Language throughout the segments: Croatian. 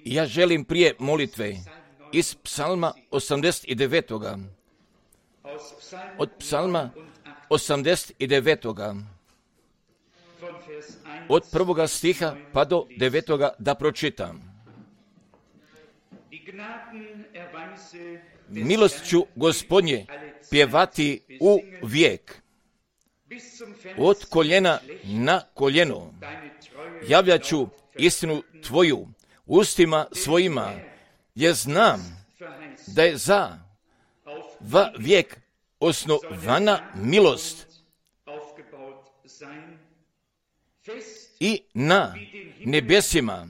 Ja želim prije molitve iz psalma 89. Od psalma 89. Od 1. stiha pa do 9. da pročitam. Milost ću Gospodnje pjevati u vijek. Od koljena na koljeno javljat ću istinu Tvoju ustima svojima, jer znam da je za vijek osnovana milost i na nebesima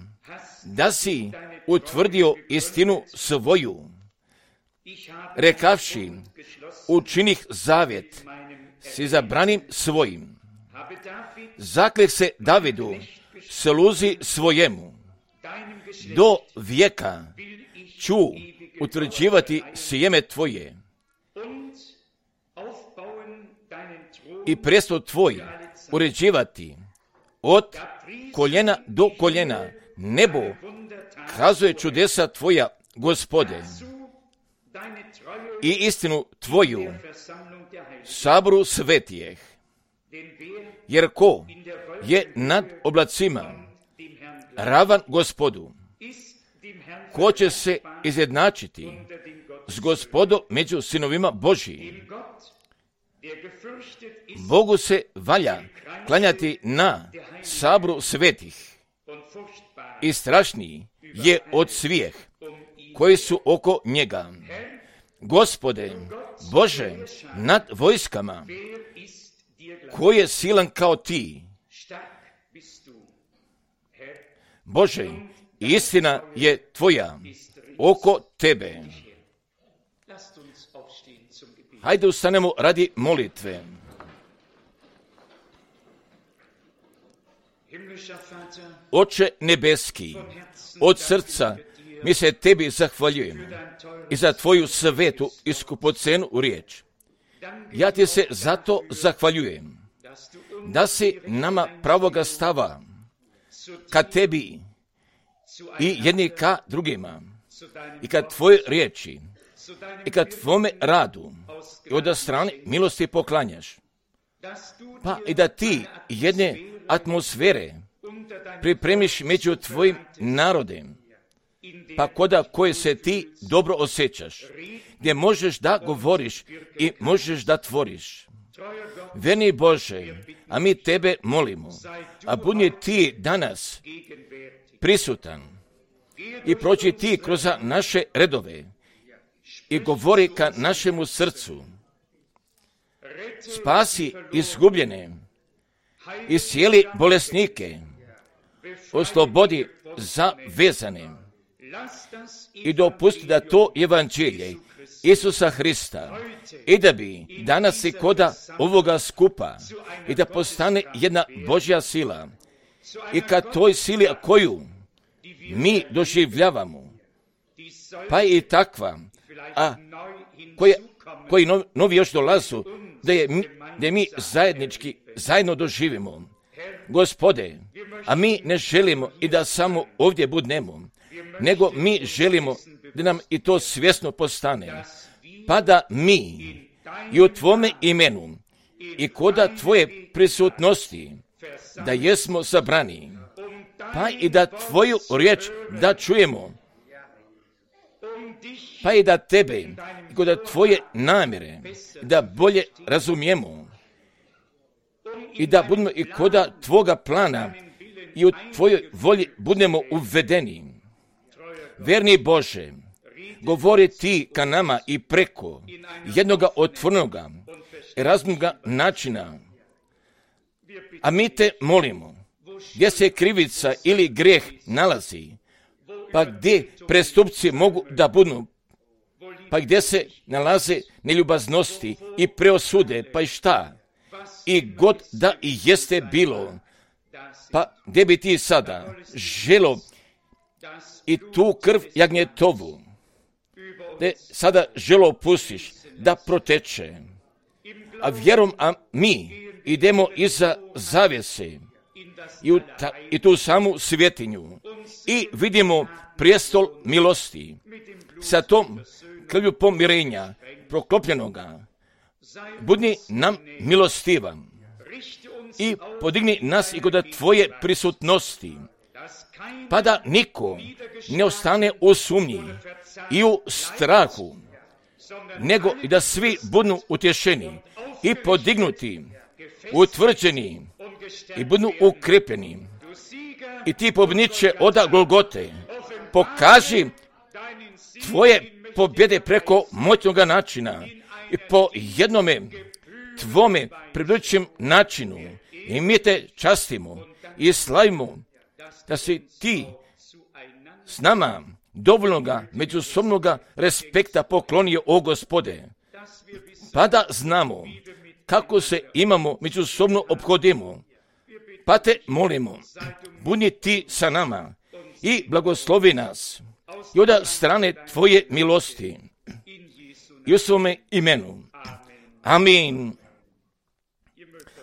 da si utvrdio istinu svoju, rekavši učinih zavjet s izabranim svojim. Zakleh se Davidu sluzi svojemu, do vijeka ću utvrđivati sjeme Tvoje i prestol Tvoj uređivati od koljena do koljena. Nebo kazuje čudesa Tvoja, Gospode, i istinu Tvoju saboru svetijeh. Jer ko je nad oblacima ravan Gospodu? Ko će se izjednačiti s Gospodom među sinovima Božijim? Bogu se valja klanjati na saboru svetih i strašniji je od svih koji su oko njega. Gospode, Bože, nad vojskama, ko je silan kao Ti? Bože, istina je Tvoja oko Tebe. Hajde ustanemo radi molitve. Oče nebeski, od srca mi se Tebi zahvaljujemo i za Tvoju svetu i skupocenu riječ. Ja Ti se zato zahvaljujem da si nama pravoga stava ka Tebi i jedni ka drugima i ka Tvoje riječi i ka Tvome radu i od strane milosti poklanjaš. Pa i da Ti jedne atmosfere pripremiš među Tvojim narodem, pa koda koje se Ti dobro osjećaš, gdje možeš da govoriš i možeš da tvoriš. Verni Bože, a mi Tebe molimo, a budi Ti danas prisutan i proći Ti kroz naše redove i govori ka našemu srcu. Spasi izgubljene, iscijeli bolesnike, oslobodi zavezane i dopusti da to evanđelje Isusa Hrista i da bi danas i koda ovoga skupa i da postane jedna Božja sila i ka toj sili koju mi doživljavamo, pa i takva, a koji novi još dolazu, da mi zajedno doživimo. Gospode, a mi ne želimo i da samo ovdje budemo, nego mi želimo da nam i to svjesno postane, pa da mi i u Tvome imenu i koda Tvoje prisutnosti da jesmo sabrani, pa i da Tvoju riječ da čujemo, pa i da Tebe i koda Tvoje namjere da bolje razumijemo i da budemo i koda Tvoga plana i u Tvojoj volji budemo uvedeni. Verni Bože, govori Ti ka nama i preko jednoga otvorenoga i razumnoga načina. A mi Te molimo, gdje se krivica ili grijeh nalazi, pa gdje prestupci mogu da budu, pa gdje se nalaze neljubaznosti i preosude, pa i šta, i god da i jeste bilo, pa gdje bi Ti sada želo i tu krv jagnjetovu, gdje sada želo pustiš da proteče, a vjerom, a mi idemo iza zavjese i tu samu svjetinju i vidimo prijestol milosti sa tom krvlju pomirenja proklopljenoga. Budi nam milostivan i podigni nas i kod tvoje prisutnosti, pa da niko ne ostane u sumnji i u strahu, nego i da svi budu utješeni i podignuti, utvrđeni i budu ukrepljeni. I ti pobjedniče oda Golgote, pokaži tvoje pobjede preko moćnoga načina i po jednome tvome približujućem načinu. I mi te častimo i slavimo da si ti s nama dovoljnoga međusobnoga respekta poklonio, o Gospode, pa da znamo kako se imamo međusobno ophodimo. Pa te molimo, budi ti sa nama i blagoslovi nas i od strane tvoje milosti i u svome imenu. Amin.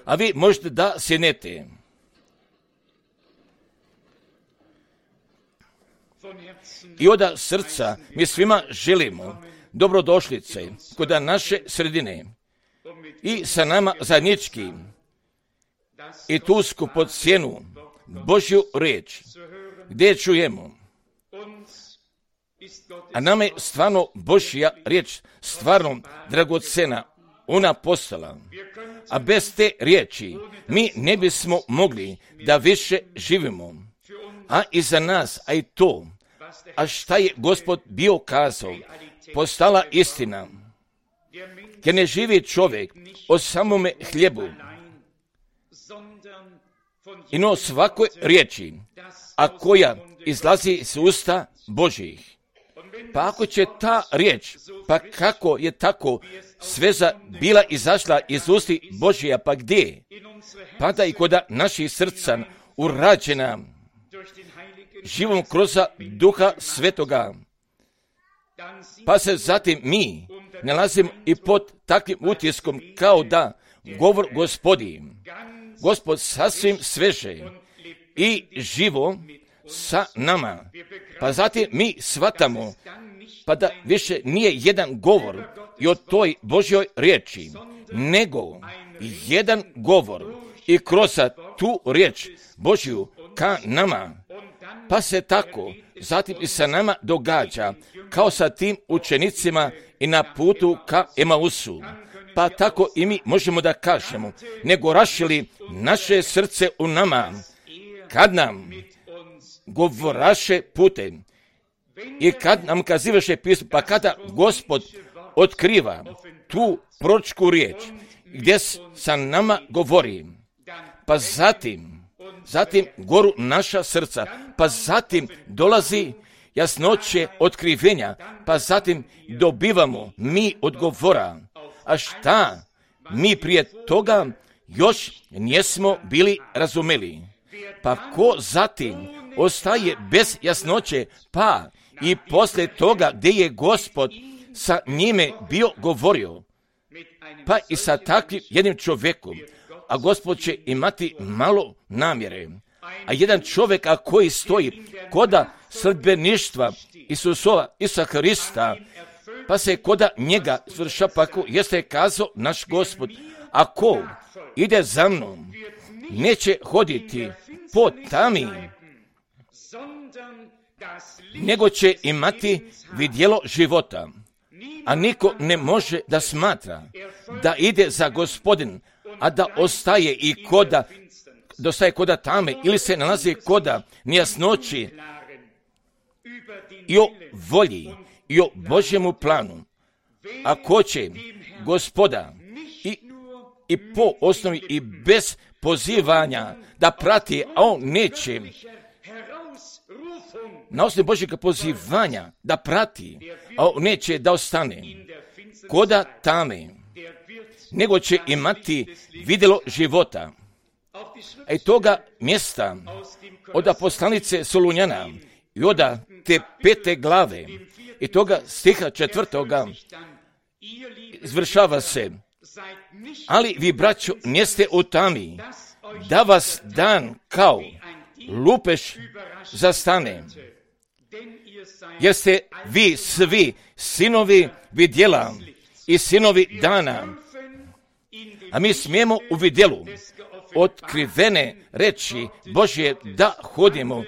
A vi možete da sjednete. I od srca mi svima želimo dobrodošlice kod naše sredine i sa nama zajednički i tu skupocjenu Božju riječ gdje čujemo. A nama je stvarno Božja riječ stvarno dragocena, ona postala. A bez te riječi mi ne bismo mogli da više živimo. A i za nas, a i to, a šta je Gospod bio kazao, postala istina. Jer ne živi čovjek o samome hljebu, i no svakoj riječi, a koja izlazi s usta Božjih. Pa ako će ta riječ, pa kako je tako sveza bila izašla iz usti Božija, pa gdje? Pa da i kod naših srca urađena živom kroz Duha Svetoga. Pa se zatim mi nalazimo i pod takvim utiskom kao da govor Gospodi, Gospod sasvim sveže i živo sa nama. Pa zatim mi shvatamo pa da više nije jedan govor i o toj Božjoj riječi, nego jedan govor i kroz tu riječ Božju ka nama. Pa se tako zatim i sa nama događa kao sa tim učenicima i na putu ka Emausu. Pa tako i mi možemo da kažemo, nego rašili naše srce u nama, kad nam govoraše putem i kad nam kazivaše pismo, pa kada Gospod otkriva tu proročku riječ gdje sa nama govori, pa zatim goru naša srca, pa zatim dolazi jasnoće otkrivenja, pa zatim dobivamo mi odgovora. A šta mi prije toga još nismo bili razumeli? Pa ko zatim ostaje bez jasnoće, pa i poslije toga gdje je Gospod sa njime bio govorio, pa i sa takvim jednim čovjekom, a Gospod će imati malo namjere. A jedan čovjek koji stoji koda sledbeništva Isusa Hrista, pa se koda njega svrša, pa ko jeste kazao naš Gospod, ako ide za mnom, neće hoditi po tami, nego će imati vidjelo života. A niko ne može da smatra da ide za Gospodin, a da ostaje i koda tame ili se nalazi koda nejasnoći i o volji i o Božjemu planu. Ako će Gospoda i po osnovi i bez pozivanja da prati, a on neće na osnovi Božjega pozivanja da prati, a on neće da ostane koda tame, nego će imati vidjelo života. A i toga mjesta od poslanice Solunjana i od te 5. glave i toga stiha 4. izvršava se: ali vi, braćo, niste u tami, da vas dan kao lupež zastane, jer ste vi svi sinovi vidjela i sinovi dana, a mi smijemo u vidjelu otkrivene reči Božje da hodimo.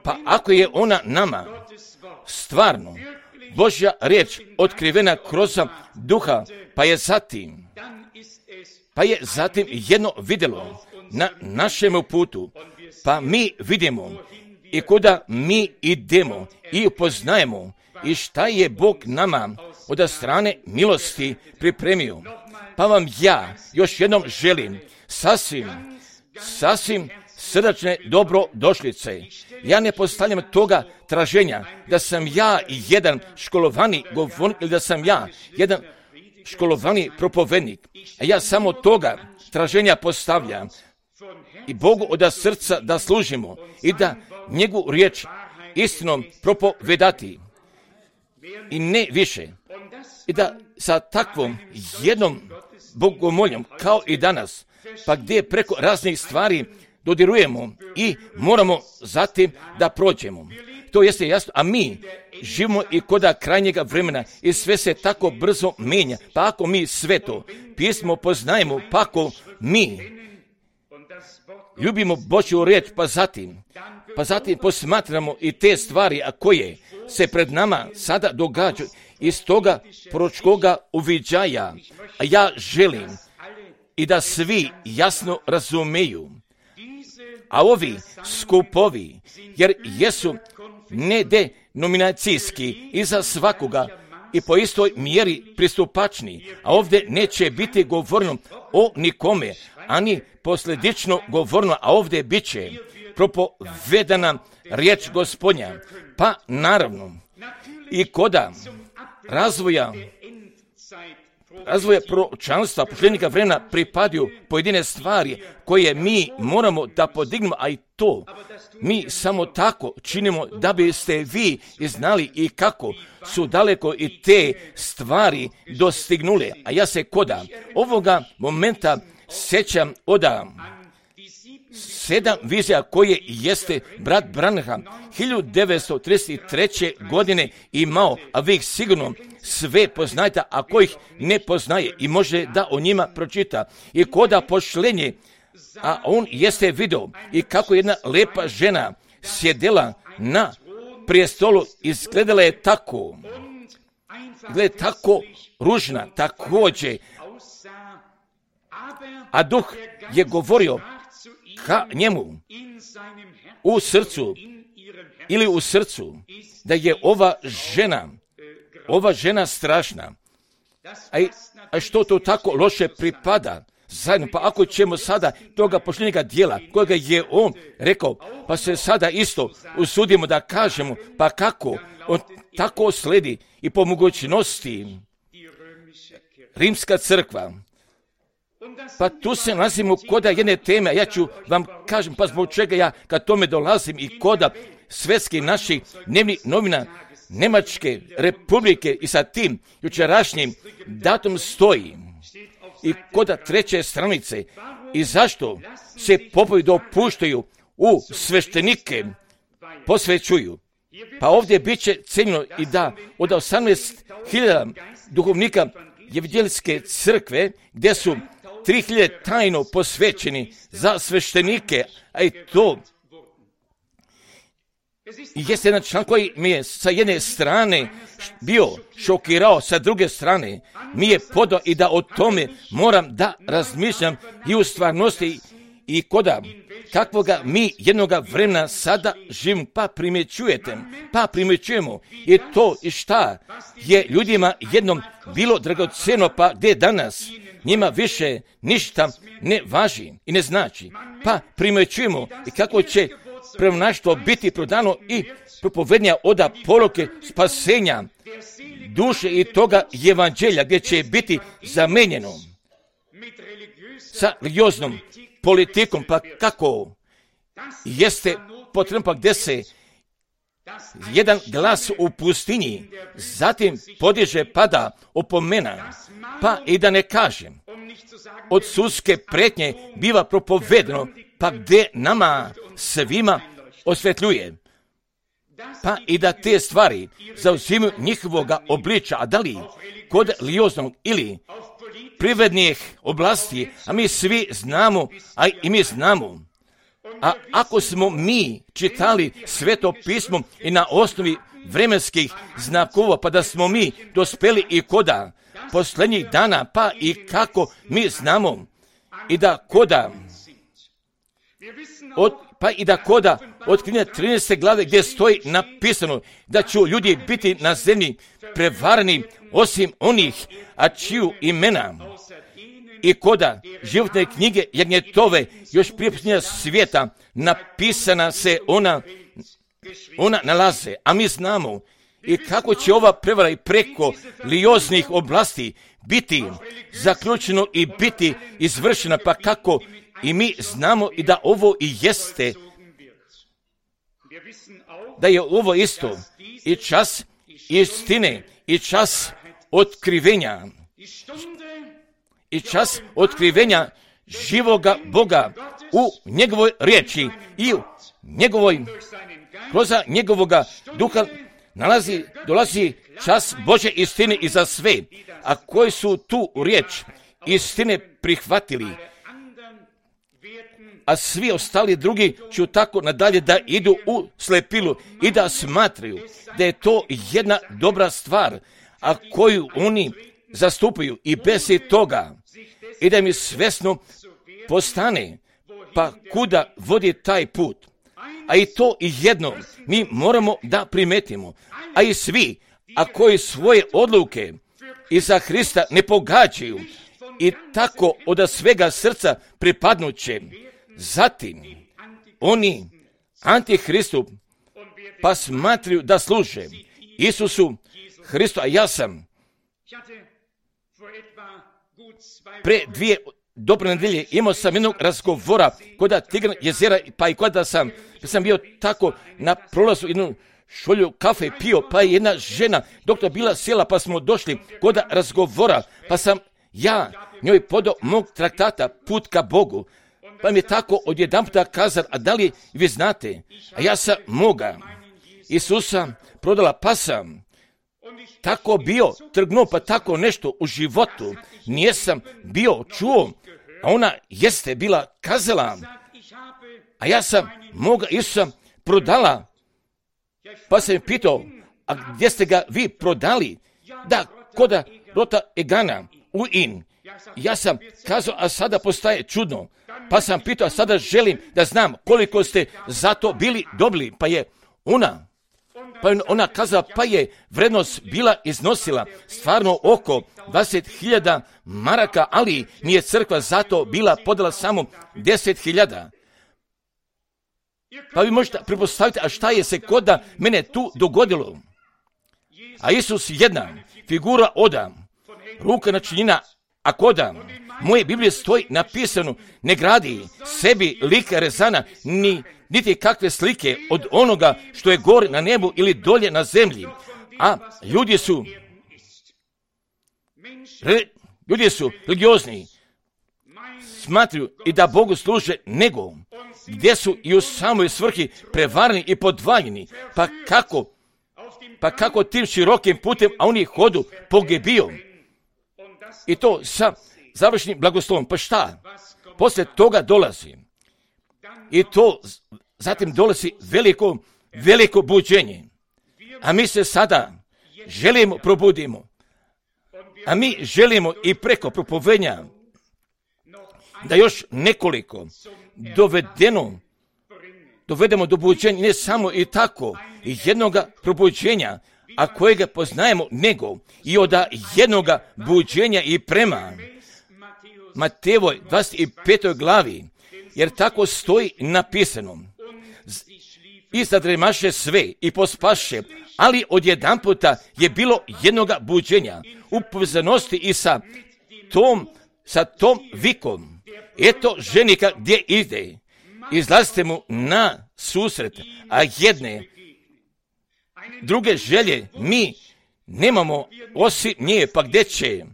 Pa ako je ona nama stvarno Božja riječ otkrivena kroz duha, pa je zatim jedno vidjelo na našemu putu, pa mi vidimo i kuda mi idemo i upoznajemo i šta je Bog nama od strane milosti pripremio. Pa vam ja još jednom želim sasvim srdačne dobrodošlice. Ja ne postavljam toga traženja da sam ja jedan školovani govornik ili da sam ja jedan školovani propovednik. A ja samo toga traženja postavljam i Bogu od srca da služimo i da njegovu riječ istinom propovedati i ne više. I da sa takvom jednom bogomoljom kao i danas, pa gdje preko raznih stvari dodirujemo i moramo zatim da prođemo. To jeste jasno, a mi živimo i koda krajnjega vremena i sve se tako brzo mijenja. Pa ako mi sve to pismo poznajemo, pa ako mi ljubimo Božju riječ, pa zatim posmatramo i te stvari, a koje se pred nama sada događaju iz toga proročkoga uviđaja. A ja želim i da svi jasno razumeju. A ovi skupovi, jer jesu nedenominacijski i za svakoga i po istoj mjeri pristupačni, a ovdje neće biti govorno o nikome, ani posljedično govorno, a ovdje bit će propovedana riječ Gospodnja. Pa naravno i koda razvoja proročanstva posljednjega vremena pripadaju pojedine stvari koje mi moramo da podignemo, a i to mi samo tako činimo da biste vi znali i kako su daleko i te stvari dostignule. A ja se koda ovoga momenta sjećam od 7 vizija koje jeste brat Branham 1933. godine imao, a vi ih sigurno sve poznajete, a ko ih ne poznaje i može da o njima pročita. I koda pošlenje, a on jeste video i kako jedna lepa žena sjedela na prijestolu, izgledala je tako ružna također, a duh je govorio ka njemu u srcu da je ova žena strašna. A što to tako loše pripada zajedno? Pa ako ćemo sada toga posljednjega dijela kojega je on rekao, pa se sada isto usudimo da kažemo, pa kako on tako sledi i po mogućnosti Rimska crkva. Pa tu se nalazimo koda jedne teme, a ja ću vam kažem pa zbog čega ja kad tome dolazim i koda svjetskih naših dnevnih novina Njemačke republike i sa tim jučerašnjim datum stoji i koda 3. stranice i zašto se popovi dopuštaju u sveštenike posvećuju. Pa ovdje bit će cijenjeno i da od 18.000 duhovnika Evanđeljske crkve gdje su 3.000 tajno posvećeni za sveštenike, a i to jeste jedan član koji mi je sa jedne strane bio šokirao, sa druge strane mi je podao i da o tome moram da razmišljam i u stvarnosti i koda kakvoga mi jednoga vremena sada živimo, pa primjećujemo i to i šta je ljudima jednom bilo dragocjeno, pa gdje danas njima više ništa ne važi i ne znači. Pa primjećujemo i kako će pravonaštvo biti prodano i propovednja oda poruke spasenja duše i toga evanđelja gdje će biti zamenjeno sa religioznom politikom, pa kako jeste potrebno, pa gdje se jedan glas u pustinji zatim podiže pada opomena, pa i da ne kažem od sudske pretnje biva propovedano, pa gdje nama svima osvetljuje. Pa i da te stvari zauzimaju njihovoga obliča, a da li kod religioznog ili privrednih oblasti, a mi svi znamo, a i mi znamo. A ako smo mi čitali Sveto pismo i na osnovi vremenskih znakova, pa da smo mi dospeli i koda posljednjih dana, pa i kako mi znamo i da koda otkrivenja 13. glave gdje stoji napisano da će ljudi biti na zemlji prevareni osim onih, a čiju imena i koda životne knjige Jagnjetove još prije počinjenja svijeta napisana se ona nalaze, a mi znamo i kako će ova prevara i preko religioznih oblasti biti zaključeno i biti izvršena, pa kako i mi znamo i da ovo i jeste, da je ovo isto i čas istine i čas otkrivenja i čas otkrivenja živoga Boga u njegovoj riječi i u kroz njegovoga duha dolazi čas Božje istine i za sve, a koji su tu riječ istine prihvatili, a svi ostali drugi će tako nadalje da idu u slepilu i da smatraju da je to jedna dobra stvar, a koju oni zastupaju i bez toga i da mi svjesno postane, pa kuda vodi taj put. A i to i jedno mi moramo da primetimo, a i svi, a koji svoje odluke iza Hrista ne pogađaju i tako od svega srca pripadnuće, zatim oni Antihristu pa smatraju da služe Isusu Hristu, a ja sam pre 2 dobre nedelje imao sam jednog razgovora kod Tigran jezera, pa i kada sam bio tako na prolazu jednu šolju kafe pio, pa je jedna žena doktor bila sjela, pa smo došli kod razgovora, pa sam ja njoj podao mog traktata Put ka Bogu, pa mi je tako odjedanputa kazala, a da li vi znate, a ja sam moga Isusa prodala, pa sam tako bio trgnuo, pa tako nešto u životu nijesam bio čuo, a ona jeste bila kazala, a ja sam moga Isusa prodala, pa sam pitao, a gdje ste ga vi prodali? Da, kod Rota Egana u In. Ja sam kazao, a sada postaje čudno, pa sam pitao, a sada želim da znam koliko ste za to bili dobili, pa je ona kazala, pa je vrednost bila iznosila stvarno oko 20.000 maraka, ali mi je crkva zato bila podala samo 10.000. Pa vi možete pretpostaviti, a šta je se kod mene tu dogodilo? A Isus jedna figura oda, ruka načinjena, a koda moje Biblije stoji napisano, ne gradi sebi lika rezana, niti kakve slike od onoga što je gore na nebu ili dolje na zemlji. A ljudi su religiozni, smatruju i da Bogu služe, nego gdje su i u samoj svrhi prevareni i podvaljeni, pa kako tim širokim putem, a oni hodu pogibio. I to sa završnim blagoslovom. Pa šta? Poslije toga dolazi. I to zatim dolazi veliko buđenje. A mi se sada želimo probudimo. A mi želimo i preko propovedanja da još nekoliko dovedemo do buđenja, ne samo i tako jednoga probuđenja, a kojega poznajemo, nego i od jednoga buđenja i prema Matejevoj 25. glavi, jer tako stoji napisano. I zadremaše sve i pospaše, ali odjedanputa je bilo jednoga buđenja u povezanosti i sa tom vikom. Eto ženika gdje ide, izlazite mu na susret, a jedne druge želje mi nemamo osim nje, pa gdje će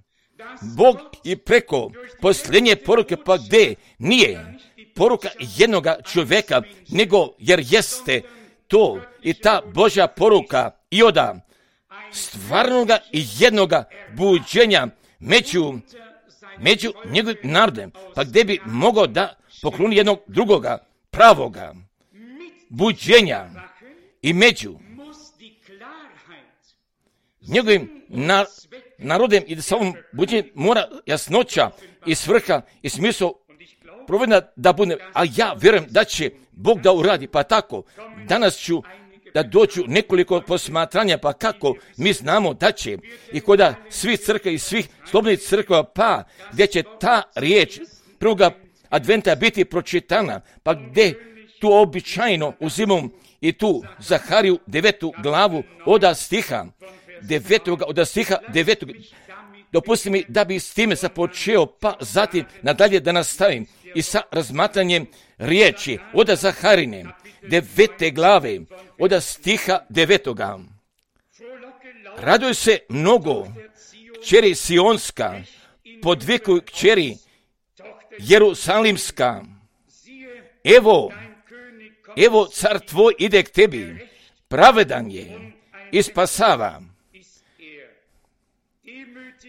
Bog i preko posljednje poruke, pa gdje nije poruka jednoga čovjeka, nego jer jeste to i ta Božja poruka i oda stvarnoga i jednoga buđenja među njegovim narodem, pa gdje bi mogao da pokloni jednog drugoga pravoga buđenja i među njegovim narodem i da sa ovom buđenjem mora jasnoća i svrha i smisao provedena da bude, a ja vjerujem da će Bog da uradi, pa tako danas ću da dođu nekoliko posmatranja, pa kako mi znamo da će i koda svih crkva i svih slobodnih crkva, pa gdje će ta riječ prvoga adventa biti pročitana, pa gdje tu običajno uzimam i tu Zahariju 9. glavu od stiha 9. Dopusti mi da bi s time započeo, pa zatim nadalje da nastavim i sa razmatranjem riječi od Zaharine 9. glave od stiha 9. Raduj se mnogo, kćeri Sionska, podvikuj kćeri Jerusalimska. Evo car tvoj ide k tebi, pravedan je i spasava,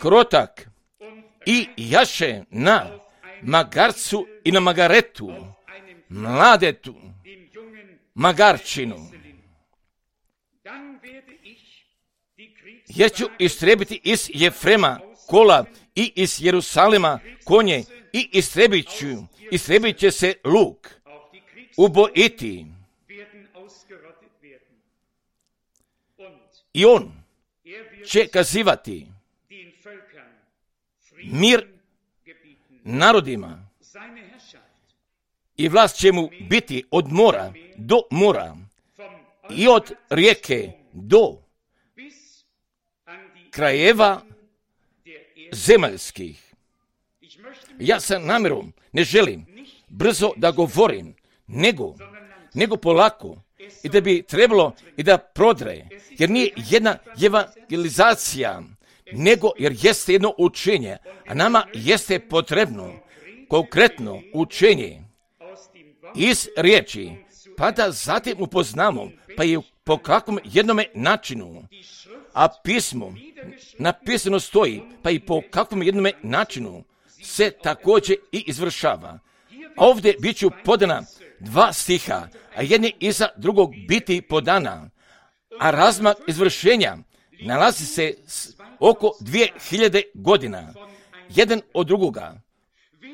krotak i jaše na magarcu i na magaretu, mladetu, magarčinu. Jer ću istrebiti iz Jefrema kola i iz Jerusalima konje i istrebit će se luk, ubojiti. I on će kazivati mir narodima i vlast će mu biti od mora do mora i od rijeke do krajeva zemaljskih. Ja sa namjerom ne želim brzo da govorim, nego polako, i da bi trebalo i da prodre, jer nije jedna evangelizacija, nego jer jeste jedno učenje, a nama jeste potrebno konkretno učenje iz riječi, pa da zatim upoznamo, pa i po kakvom jednome načinu, a pismo napisano stoji, pa i po kakvom jednome načinu se također i izvršava. Ovdje bit ću podana 2 stiha, a jedni iza drugog biti podana, a razmak izvršenja nalazi se oko 2000 godina, jedan od drugoga.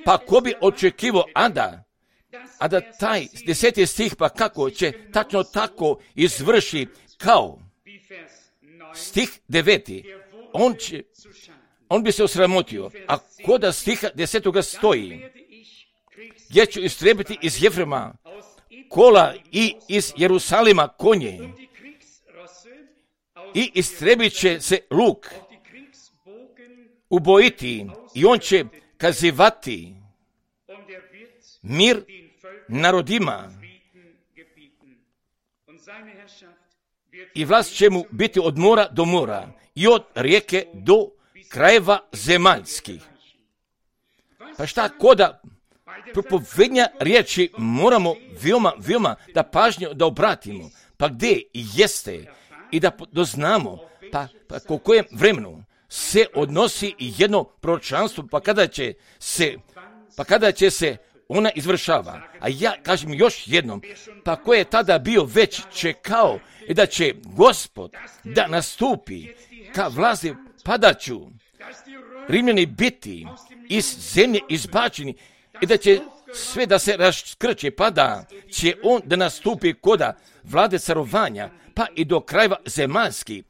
Pa ko bi očekivao, a da taj 10. stih, pa kako će tačno tako izvrši kao stih 9. On bi se osramotio, a koda stiha 10. stoji, gdje ću istrebiti iz Jefrema kola i iz Jerusalima konje i istrebit će se luk, ubojiti, i on će kazivati mir narodima i vlast će mu biti od mora do mora i od rijeke do krajeva zemaljskih. Pa šta koda propovednja riječi moramo veoma da pažnju da obratimo, pa gdje jeste i da doznamo, pa u kojem vremenu se odnosi jedno proročanstvo, pa kada će se ona izvršava. A ja kažem još jednom, pa ko je tada bio već čekao i da će Gospod da nastupi ka vlasti, padaću Rimljani biti iz zemlje izbačeni i da će sve da se raskrče, pa da će on da nastupi koda vlade carovanja, pa i do krajeva zemaljskih.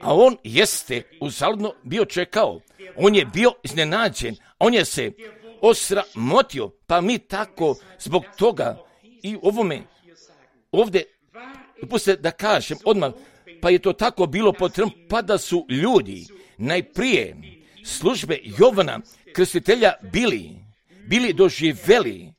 A on jeste uzaludno bio čekao, on je bio iznenađen, on je se osramotio, pa mi tako zbog toga i ovdje, dopustite da kažem odmah, pa je to tako bilo potrebno, pa da su ljudi najprije službe Jovana Krstitelja bili doživjeli,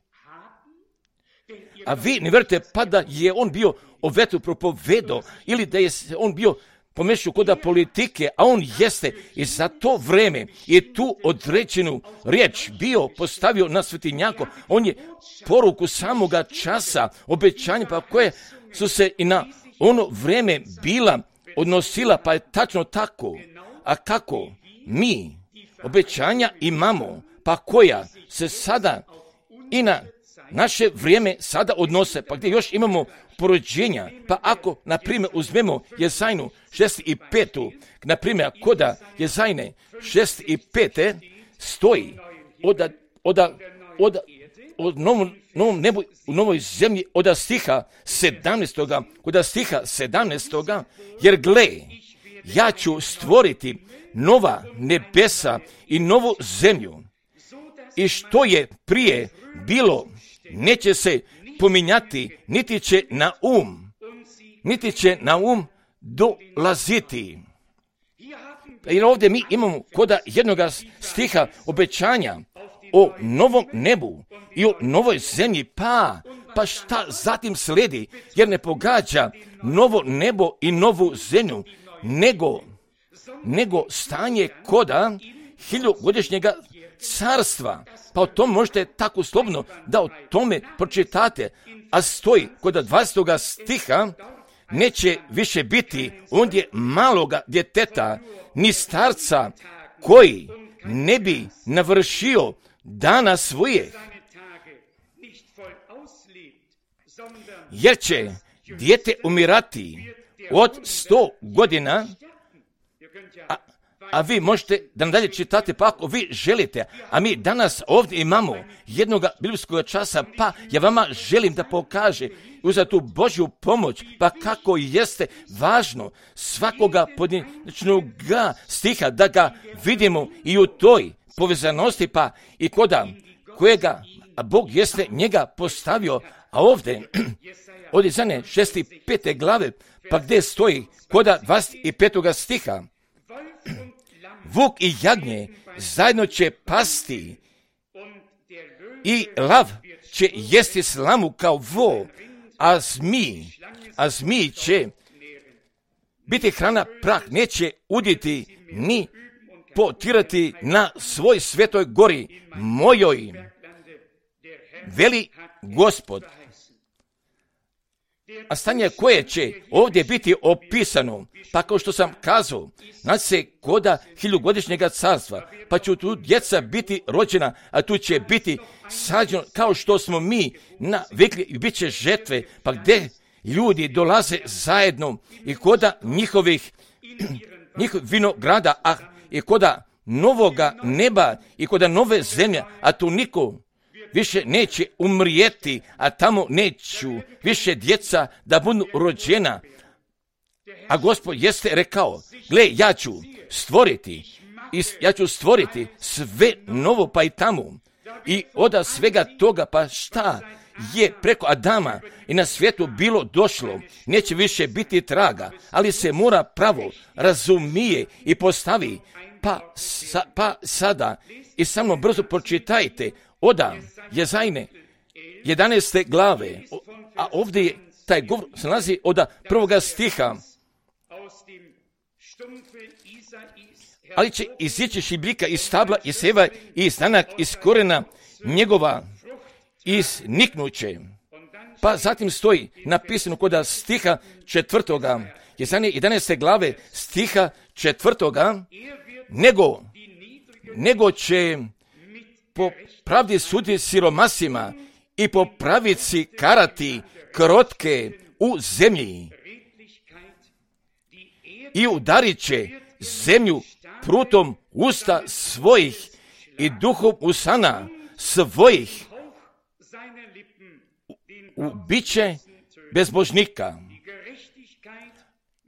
a vi ne vjerujete, pa da je on bio o vetru propovedao, ili da je on bio pomešao kod politike, a on jeste i za to vreme je tu određenu riječ bio postavio na svetinjako. On je poruku samoga časa, obećanja, pa koje su se i na ono vreme bila odnosila, pa je tačno tako. A kako mi obećanja imamo, pa koja se sada i na naše vrijeme sada odnose, pa gdje još imamo porođenja, pa ako, na primjer, uzmemo Jezajnu 65. Na primjer, koda Jezajne 65. stoji od novom nebu u novoj zemlji od stiha 17. Kod stiha 17. Jer gle, ja ću stvoriti nova nebesa i novu zemlju. I što je prije bilo, neće se pominjati, niti će na um dolaziti. Jer ovdje mi imamo koda jednog stiha obećanja o novom nebu i o novoj zemlji, pa šta zatim slijedi, jer ne pogađa novo nebo i novu zemlju, nego stanje koda 1000-godišnjega carstva. Pa o tom možete tako slobodno da o tome pročitate, a stoji kod 20. stiha, neće više biti ondje maloga djeteta, ni starca koji ne bi navršio dana svojih, jer će dijete umirati od 100 godina, a vi možete da nadalje čitate, pa ako vi želite, a mi danas ovdje imamo jednog biblijskog časa, pa ja vama želim da pokaže za tu Božju pomoć, pa kako jeste važno svakoga pojedinačnog stiha da ga vidimo i u toj povezanosti, pa i koda kojega Bog jeste njega postavio, a ovdje od Jezajne 65. glave, pa gdje stoji koda 25. stiha, vuk i jagnje zajedno će pasti i lav će jesti slamu kao vo, a zmij će biti hrana, prah neće uditi ni potirati na svoj svetoj gori mojoj, veli Gospod. A stanje koje će ovdje biti opisano, pa kao što sam kazao, naći se koda 1000-godišnjega carstva, pa će tu djeca biti rođena, a tu će biti sađeno kao što smo mi navikli i bit će žetve, pa gdje ljudi dolaze zajedno i koda njihovih vinograda, a i koda novoga neba i koda nove zemlje, a tu niko više neće umrijeti, a tamo neću više djeca da budu rođena. A Gospod jeste rekao, gle, ja ću stvoriti sve novo, pa i tamo. I od svega toga, pa šta je preko Adama i na svijetu bilo došlo, neće više biti traga, ali se mora pravo razumije i postavi. Pa sada i samo brzo pročitajte od Jezajne 11. glave, a ovdje taj govor se nalazi od 1. stiha. Ali će izići šibljika iz stabla i seva i znanak iz korena njegova izniknuće. Pa zatim stoji napisano kod stiha 4. Jezajne 11. glave stiha 4. Nego će po pravdi suditi siromasima i po pravici karati krotke u zemlji i udarit će zemlju prutom usta svojih i duhom usana svojih ubiće bezbožnika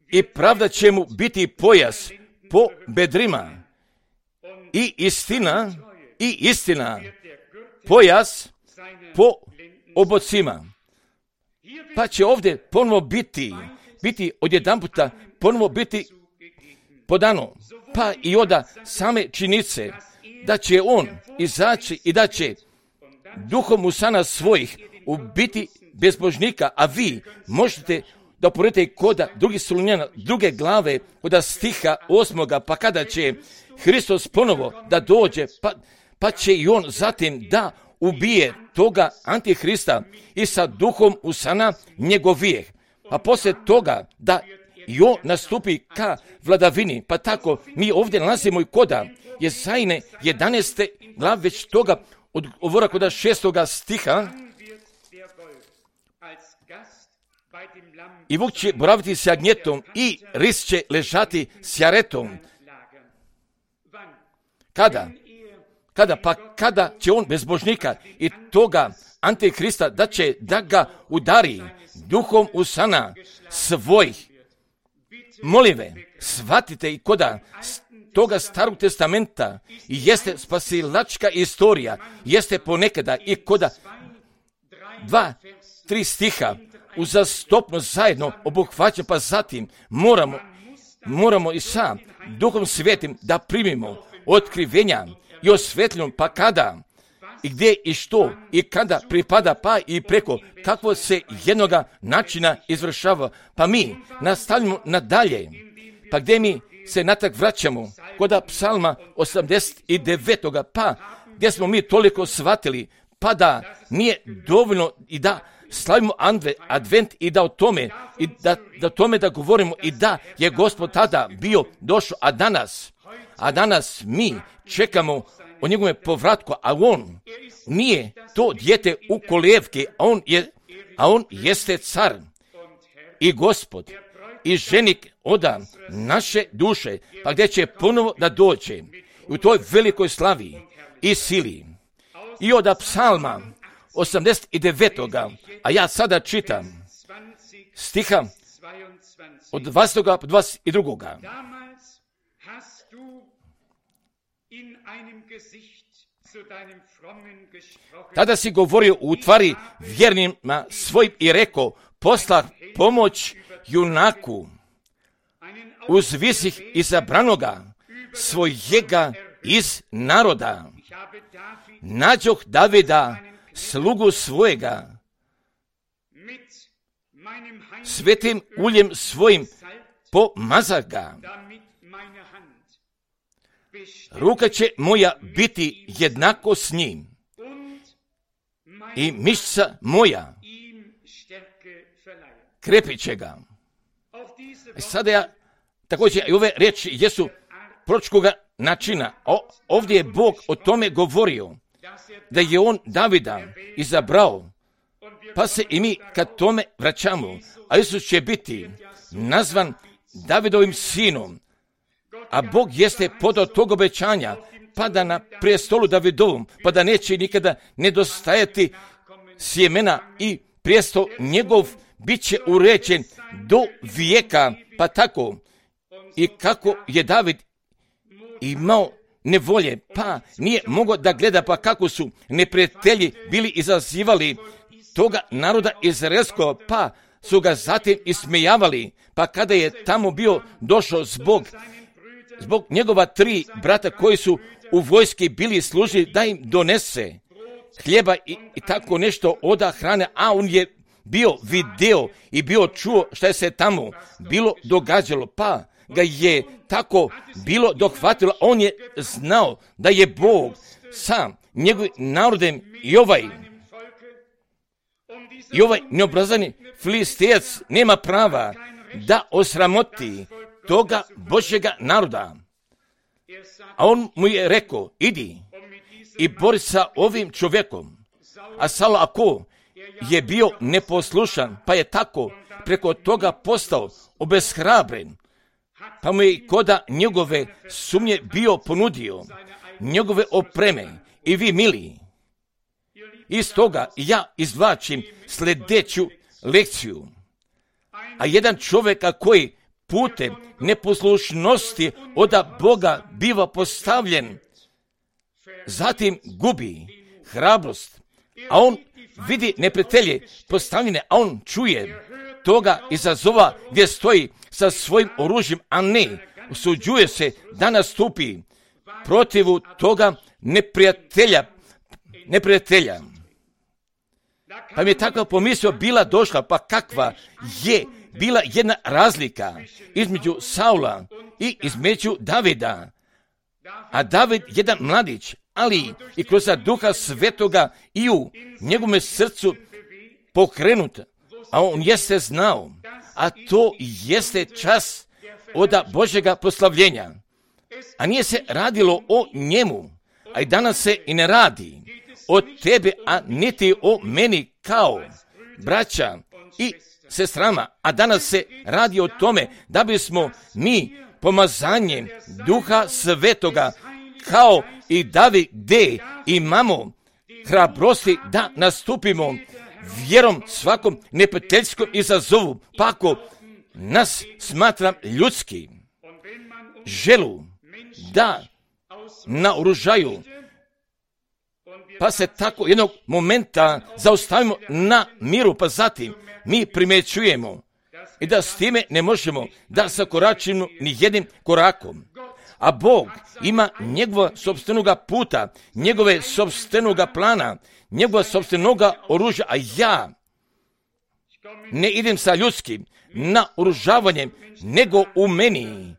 i pravda će mu biti pojas po bedrima i istina pojas po obocima. Pa će ovdje ponovo biti odjedanputa ponovo biti podano, pa i od same činice, da će on izaći i da će duhom usana svojih ubiti bezbožnika, a vi možete da uporedite koda drugih Solunjana, druge glave, koda stiha 8. pa kada će Hristos ponovo da dođe, pa će i on zatim da ubije toga Antihrista i sa duhom usana njegov vijeh. A poslije toga da i on nastupi ka vladavini, pa tako mi ovdje nalazimo i koda Jesajine 11. glav već toga odgovora koda 6. stiha. I vuk će boraviti s jagnjetom i ris će ležati s jaretom. Kada? Pa kada će on bezbožnika i toga Antihrista da ga udari duhom usana svojih. Molim ve, shvatite i koda toga Starog testamenta jeste spasilačka istorija, jeste ponekada i koda 2-3 stiha uzastopno zajedno obuhvaća, pa zatim moramo i sa Duhom Svetim da primimo otkrivenja i osvetljenom, pa kada i gdje i što i kada pripada, pa i preko kako se jednoga načina izvršava, pa mi nastavljamo nadalje, pa gdje mi se natrag vraćamo koda Psalma 89. pa gdje smo mi toliko shvatili, pa da nije dovoljno i da slavimo advent i da o tome i da tome da govorimo i da je Gospod tada bio došao, a danas mi čekamo o njegovom povratku, a on nije to dijete u kolijevki, a on jeste car i Gospod i ženik oda naše duše, pa gdje će ponovo da dođe u toj velikoj slavi i sili. I od Psalma 89. a ja sada čitam stiha od 20. do 22. Tada si govorio u tvari vjernima svojim i rekao, poslah pomoć junaku, uzvisih izabranoga svojega iz naroda. Nađoh Davida, slugu svojega, svetim uljem svojim pomazah ga. Ruka će moja biti jednako s njim i mišica moja krepit će ga. Sada ja također i ove riječi jesu proročkoga načina. Ovdje je Bog o tome govorio, da je on Davida izabrao, pa se i mi kad tome vraćamo, a Isus će biti nazvan Davidovim sinom, a Bog jeste podao tog obećanja, pa da na prijestolu Davidovom, pa da neće nikada nedostajati sjemena i prijestol njegov bit će uređen do vijeka, pa tako i kako je David imao nevolje, pa nije mogao da gleda, pa kako su neprijatelji bili izazivali toga naroda izraelskog, pa su ga zatim ismejavali, pa kada je tamo bio došao zbog njegova 3 brata koji su u vojski bili služili da im donese hljeba i tako nešto oda hrane, a on je bio video i bio čuo šta je se tamo bilo događalo, pa ga je tako bilo dohvatilo. On je znao da je Bog sam njegovim narodem i ovaj neobrazani Filistijac nema prava da osramoti toga Božjega naroda. A on mu je rekao, idi i bori sa ovim čovjekom. A Saul ako je bio neposlušan, pa je tako preko toga postao obeshrabren, pa mu je koda njegove sumnje bio ponudio njegove opreme. I vi, mili, iz toga ja izvlačim sljedeću lekciju. A jedan čovjeka koji putem neposlušnosti od Boga biva postavljen, zatim gubi hrabrost, a on vidi neprijatelje postavljene, a on čuje toga izazova gdje stoji sa svojim oružjem, a ne usuđuje se da nastupi protivu toga neprijatelja. Pa mi je takva pomisao bila došla, pa kakva je bila jedna razlika između Saula i između Davida. A David jedan mladić, ali i kroz Duha Svetoga i u njegovom srcu pokrenut, a on jeste znao, a to jeste čas od Božjega proslavljenja. A nije se radilo o njemu, a i danas se i ne radi o tebe, a niti o meni kao braća i sestrama, a danas se radi o tome da bismo mi pomazanjem Duha Svetoga kao i David gdje imamo hrabrosti da nastupimo vjerom svakom neprijateljskom izazovu, pa ako nas smatram ljudski, želu da naoružaju, pa se tako jednog momenta zaustavimo na miru, pa zatim mi primjećujemo i da s time ne možemo da zakoračimo ni jednim korakom. A Bog ima njegova sopstvenoga puta, njegove sopstvenoga plana, njegova sopstvenoga oružja, a ja ne idem sa ljudskim naoružavanjem, nego u meni,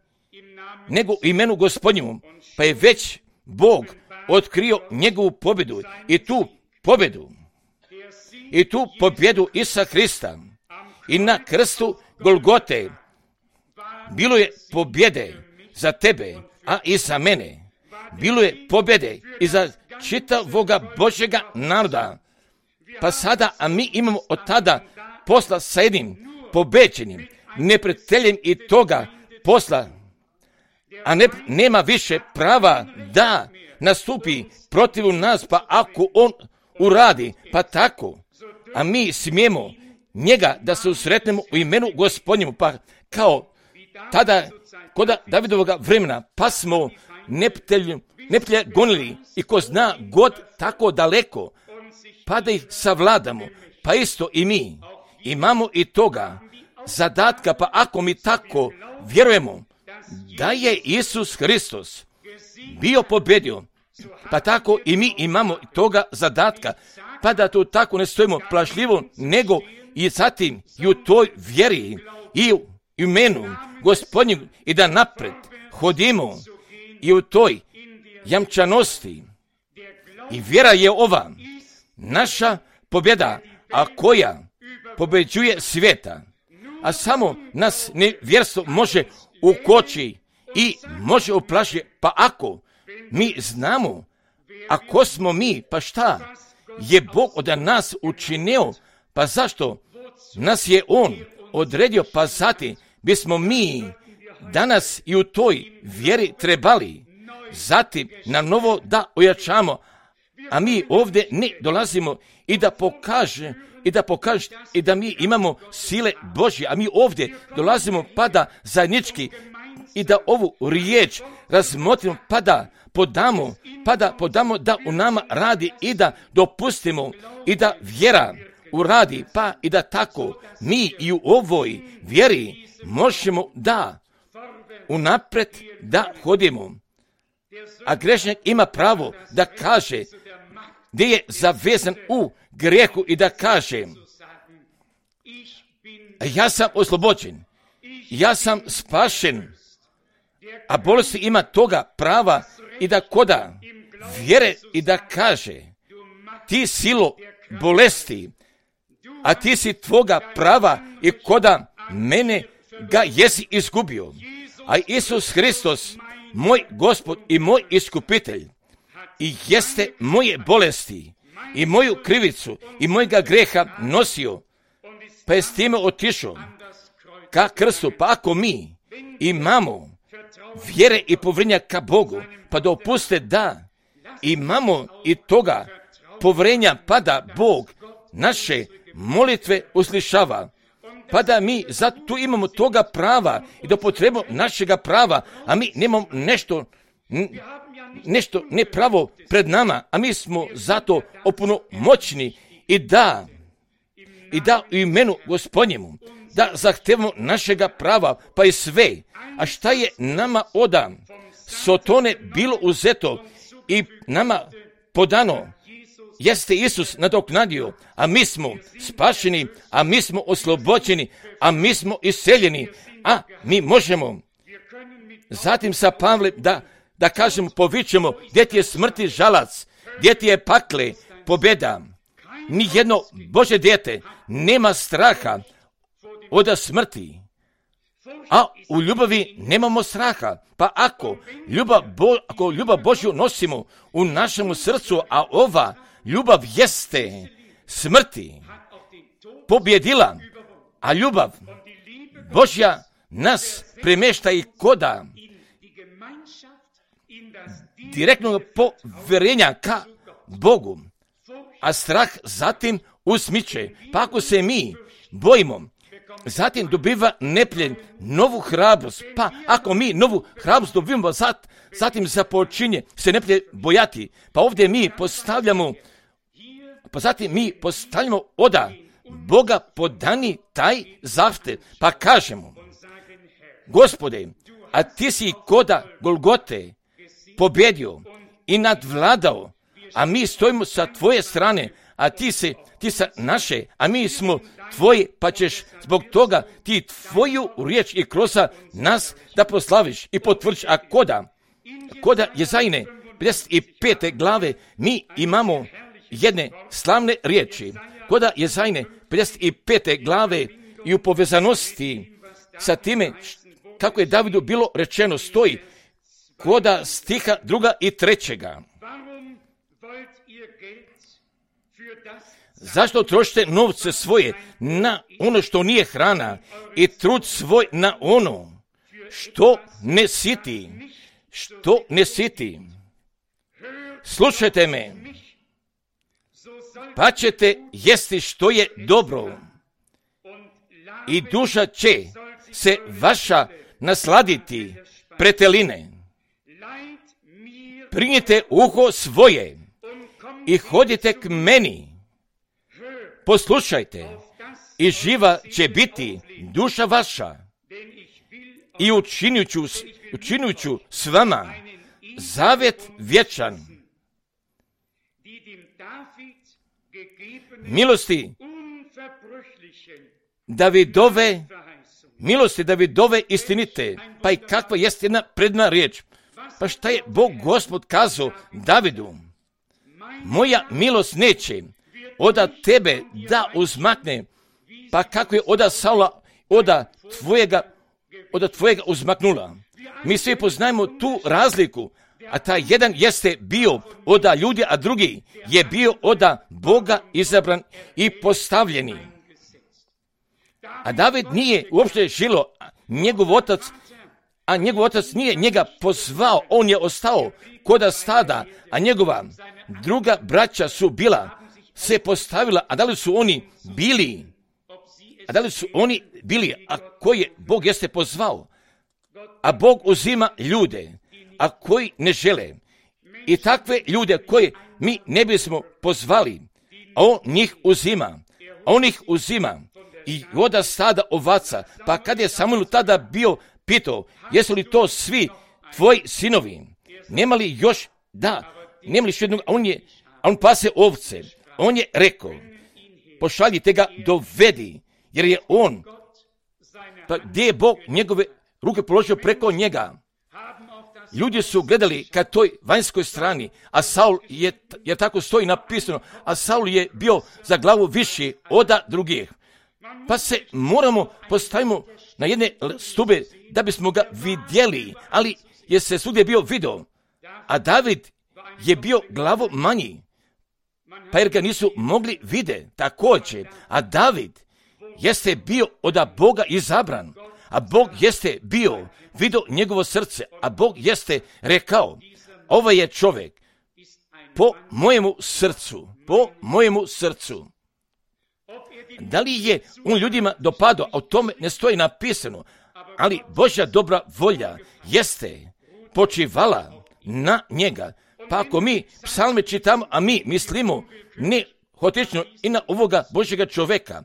nego u imenu Gospodnjemu, pa je već Bog otkrio njegovu pobjedu i tu pobjedu Isusa Krista i na krstu Golgote bilo je pobjede za tebe, a i za mene. Bilo je pobjede i za čitavoga Božjega naroda. Pa sada, a mi imamo od tada posla sa jednim pobeđenim neprijateljem i toga posla, a nema više prava da nastupi protiv nas, pa ako on uradi, pa tako, a mi smijemo njega da se usretnemo u imenu Gospodnjemu, pa kao tada kod Davidovoga vremena, pa smo neprijatelja gonili i ko zna god tako daleko, pa da ih savladamo, pa isto i mi imamo i toga zadatka, pa ako mi tako vjerujemo da je Isus Hristos bio pobjedio, pa tako i mi imamo toga zadatka, pa da to tako ne stojimo plašljivo, nego i zatim i u toj vjeri i u imenu Gospodnjeg i da napred hodimo i u toj jamčanosti. I vjera je ova naša pobjeda, a koja pobeđuje svijeta. A samo nas nevjerstvo može ukoči i može uplašiti, pa ako mi znamo, ako smo mi, pa šta je Bog od nas učinio, pa zašto nas je On odredio, pa zatim bismo mi danas i u toj vjeri trebali zatim na novo da ojačamo, a mi ovdje ne dolazimo i da pokaže i da mi imamo sile Božje, a mi ovdje dolazimo pa da zajednički i da ovu riječ razmotrimo, pa da podamo da u nama radi i da dopustimo i da vjera uradi, pa i da tako mi i u ovoj vjeri možemo da unaprijed da hodimo. A grešnik ima pravo da kaže gdje je zavezan u grijehu i da kaže ja sam oslobođen, ja sam spašen, a bolesti ima toga prava i da koda vjere i da kaže ti silo bolesti, a ti si tvoga prava i koda mene ga jesi izgubio. A Isus Hristos, moj Gospod i moj iskupitelj, i jeste moje bolesti i moju krivicu i mojega greha nosio, pa je s time otišao ka krstu. Pa ako mi imamo vjere i povjerenja ka Bogu, pa dopuste da imamo i toga povjerenja, pa da Bog naše molitve uslišava, pa da mi zato tu imamo toga prava i da potrebujemo našega prava, a mi nemamo nešto nepravo pred nama, a mi smo zato opunomoćni i da u imenu Gospodnjemu da zahtevamo našega prava, pa i sve. A šta je nama od Sotone bilo uzeto i nama podano, jeste Isus nadoknadio, a mi smo spašeni, a mi smo oslobođeni, a mi smo iseljeni, a mi možemo. Zatim sa Pavlem da kažemo, povičemo, gdje ti je smrti žalac, gdje ti je pakle pobjeda. Nijedno Božje dijete nema straha od smrti, a u ljubavi nemamo straha. Pa ako ljubav Božju nosimo u našemu srcu, a ova ljubav jeste smrti pobjedila, a ljubav Božja nas premješta i koda direktnog povjerenja ka Bogu, a strah zatim usmiče. Pa ako se mi bojimo, zatim dobiva nepljen novu hrabrost. Pa ako mi novu hrabrost dobivamo, zatim započinje se nepljen bojati. Pa ovdje mi postavljamo oda Boga podani taj zahtev. Pa kažemo, Gospode, a ti si koda Golgote pobjedio i nadvladao, a mi stojimo sa tvoje strane, a ti sa naše, a mi smo tvoji, pa ćeš zbog toga ti tvoju riječ i kroz nas da proslaviš i potvrdiš. A koda Jezajne 55. glave mi imamo jedne slavne riječi. Koda Jezajne 55. glave i u povezanosti sa time kako je Davidu bilo rečeno stoji koda stiha 2. i 3. Zašto trošite novce svoje na ono što nije hrana i trud svoj na ono što ne siti? Slušajte me, pa ćete jesti što je dobro i duša će se vaša nasladiti preteline. Prinjite uho svoje i hodite k meni. Poslušajte i živa će biti duša vaša i učinit ću s vama zavet vječan. Milosti Davidove istinite. Pa i kakva jest jedna predna riječ. Pa šta je Bog Gospod kazao Davidu? Moja milost neće oda tebe da uzmakne, pa kako je oda Saula oda tvojega uzmaknula. Mi svi poznajemo tu razliku, a taj jedan jeste bio oda ljudi, a drugi je bio oda Boga izabran i postavljeni. A David nije uopšte žilo, njegov otac nije njega pozvao, on je ostao koda stada, a njegova druga braća su se postavila, a da li su oni bili, a koje Bog jeste pozvao? A Bog uzima ljude, a koji ne žele. I takve ljude koje mi ne bismo pozvali, a on njih uzima. I oda stada ovaca. Pa kad je Samuel tada bio pitao, jesu li to svi tvoji sinovi? Nema li još jednog, a on pase ovce. On je rekao, pošaljite ga, dovedi, jer je on, pa gdje je Bog njegove ruke položio preko njega? Ljudi su gledali ka toj vanjskoj strani, a Saul je tako stoji napisano, a Saul je bio za glavu viši od drugih. Pa se moramo postavimo na jedne stube da bismo ga vidjeli, ali je se svugdje bio video, a David je bio glavo manji, pa jer ga nisu mogli vidjeti također, a David jeste bio od Boga izabran, a Bog jeste bio vidio njegovo srce, a Bog jeste rekao, ovaj je čovjek po mojemu srcu. Da li je on ljudima dopadao, a o tome ne stoji napisano, ali Božja dobra volja jeste počivala na njega. Pa ako mi psalme čitamo, a mi mislimo ne hotično i na ovoga Božjega čovjeka,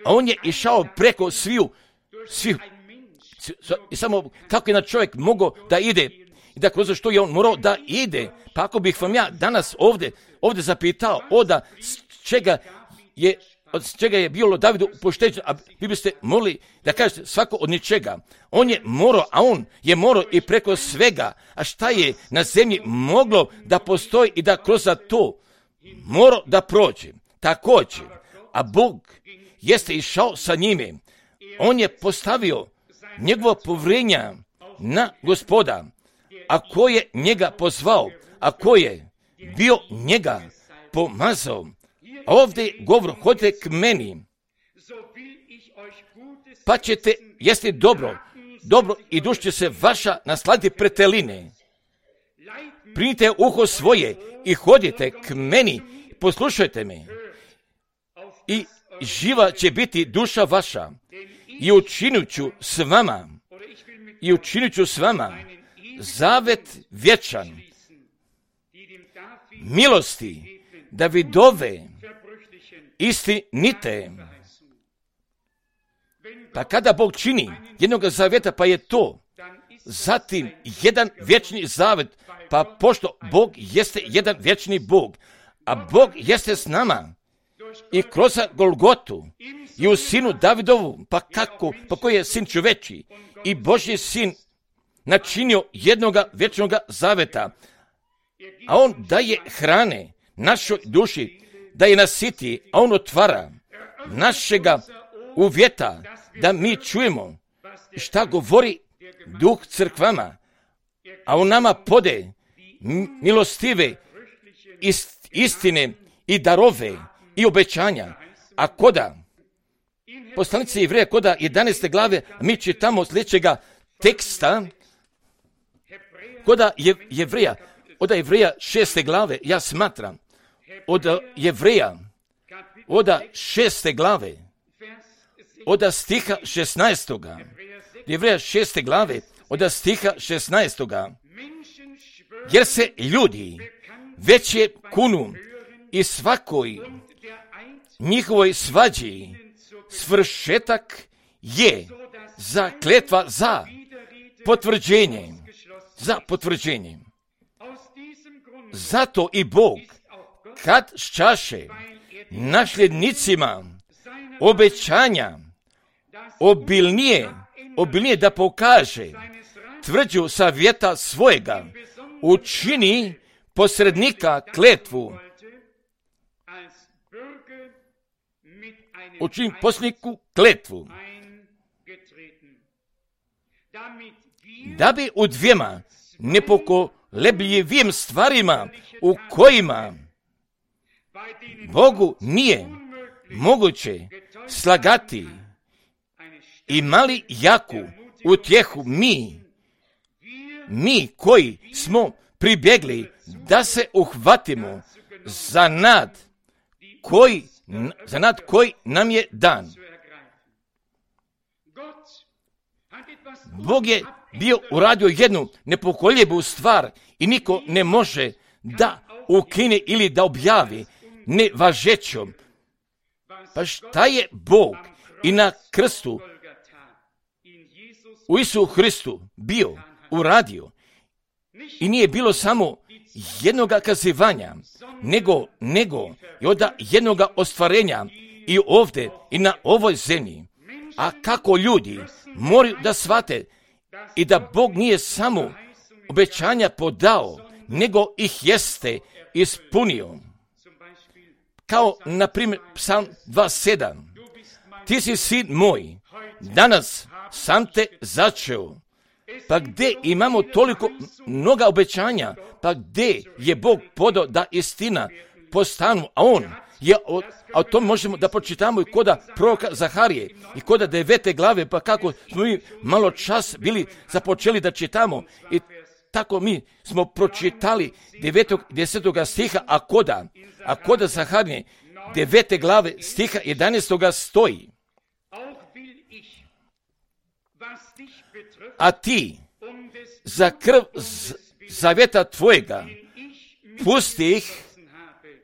a on je išao preko svih i samo kako je na čovjek mogao da ide i da kroz što je on morao da ide. Pa ako bih vam ja danas ovdje zapitao od čega je bilo Davidu pošteđen, a vi biste mogli da kažete svako od ničega. On je morao, a on je morao i preko svega. A šta je na zemlji moglo da postoji i da kroz to morao da prođe? Također, a Bog jeste išao sa njime. On je postavio njegovo povjerenje na Gospoda, a ko je njega pozvao, a ko je bio njega pomazao. A ovdje govor, hodite k meni, pa ćete jesti dobro i duša će se vaša nasladiti preteline. Primite uho svoje i hodite k meni, poslušajte me. I živa će biti duša vaša i učinit ću s vama zavet vječan, milosti, Davidove, istinite. Pa kada Bog čini jednog zaveta, pa je to zatim jedan vječni zavet, pa pošto Bog jeste jedan vječni Bog, a Bog jeste s nama i kroz Golgotu i u sinu Davidovu, pa kako, pa koji je sin čoveči i Božji sin načinio jednoga vječnoga zaveta, a on daje hrane našoj duši, da je nasiti, a on otvara našega uvjeta, da mi čujemo šta govori Duh crkvama, a on nama pode milostive istine i darove i obećanja. A koda poslanice Jevreja, koda 11. glave, mi čitamo sljedećega teksta, koda Jevreja, od Jevreja 6. glave, ja smatram, od Jevreja, od 6. glave, od stiha 16. Jevreja 6. glave, od stiha 16. Jer se ljudi već je kunu i svakoj njihovoj svađi svršetak je za kletva za potvrđenje. Zato i Bog, kad šćaše nasljednicima obećanja obilnije da pokaže tvrđu savjeta svojega, učini posrednika kletvu, da bi u dvijema nepokolebljivim stvarima u kojima Bogu nije moguće slagati, imali jaku utjehu mi koji smo pribjegli da se uhvatimo za nad koji nam je dan. Bog je bio uradio jednu nepokoljebu stvar i niko ne može da ukine ili da objavi nevažećom. Pa šta je Bog i na krstu u Isusu Hristu bio uradio? I nije bilo samo jednoga kazivanja, nego i od jednoga ostvarenja i ovdje i na ovoj zemlji. A kako ljudi moraju da shvate i da Bog nije samo obećanja podao, nego ih jeste ispunio. Kao, na primjer, Psalm 2:7. Ti si sin moj, danas sam te začeo. Pa gdje imamo toliko mnoga obećanja, pa gdje je Bog podao da istina postanu, a on je, a o tom možemo da pročitamo i koda proroka Zaharije i koda 9. glave, pa kako smo mi malo čas bili započeli da čitamo i tako mi smo pročitali 9. 10. stiha, a koda Zaharije 9. glave stiha 11. stoji: a ti za krv zavjeta tvojega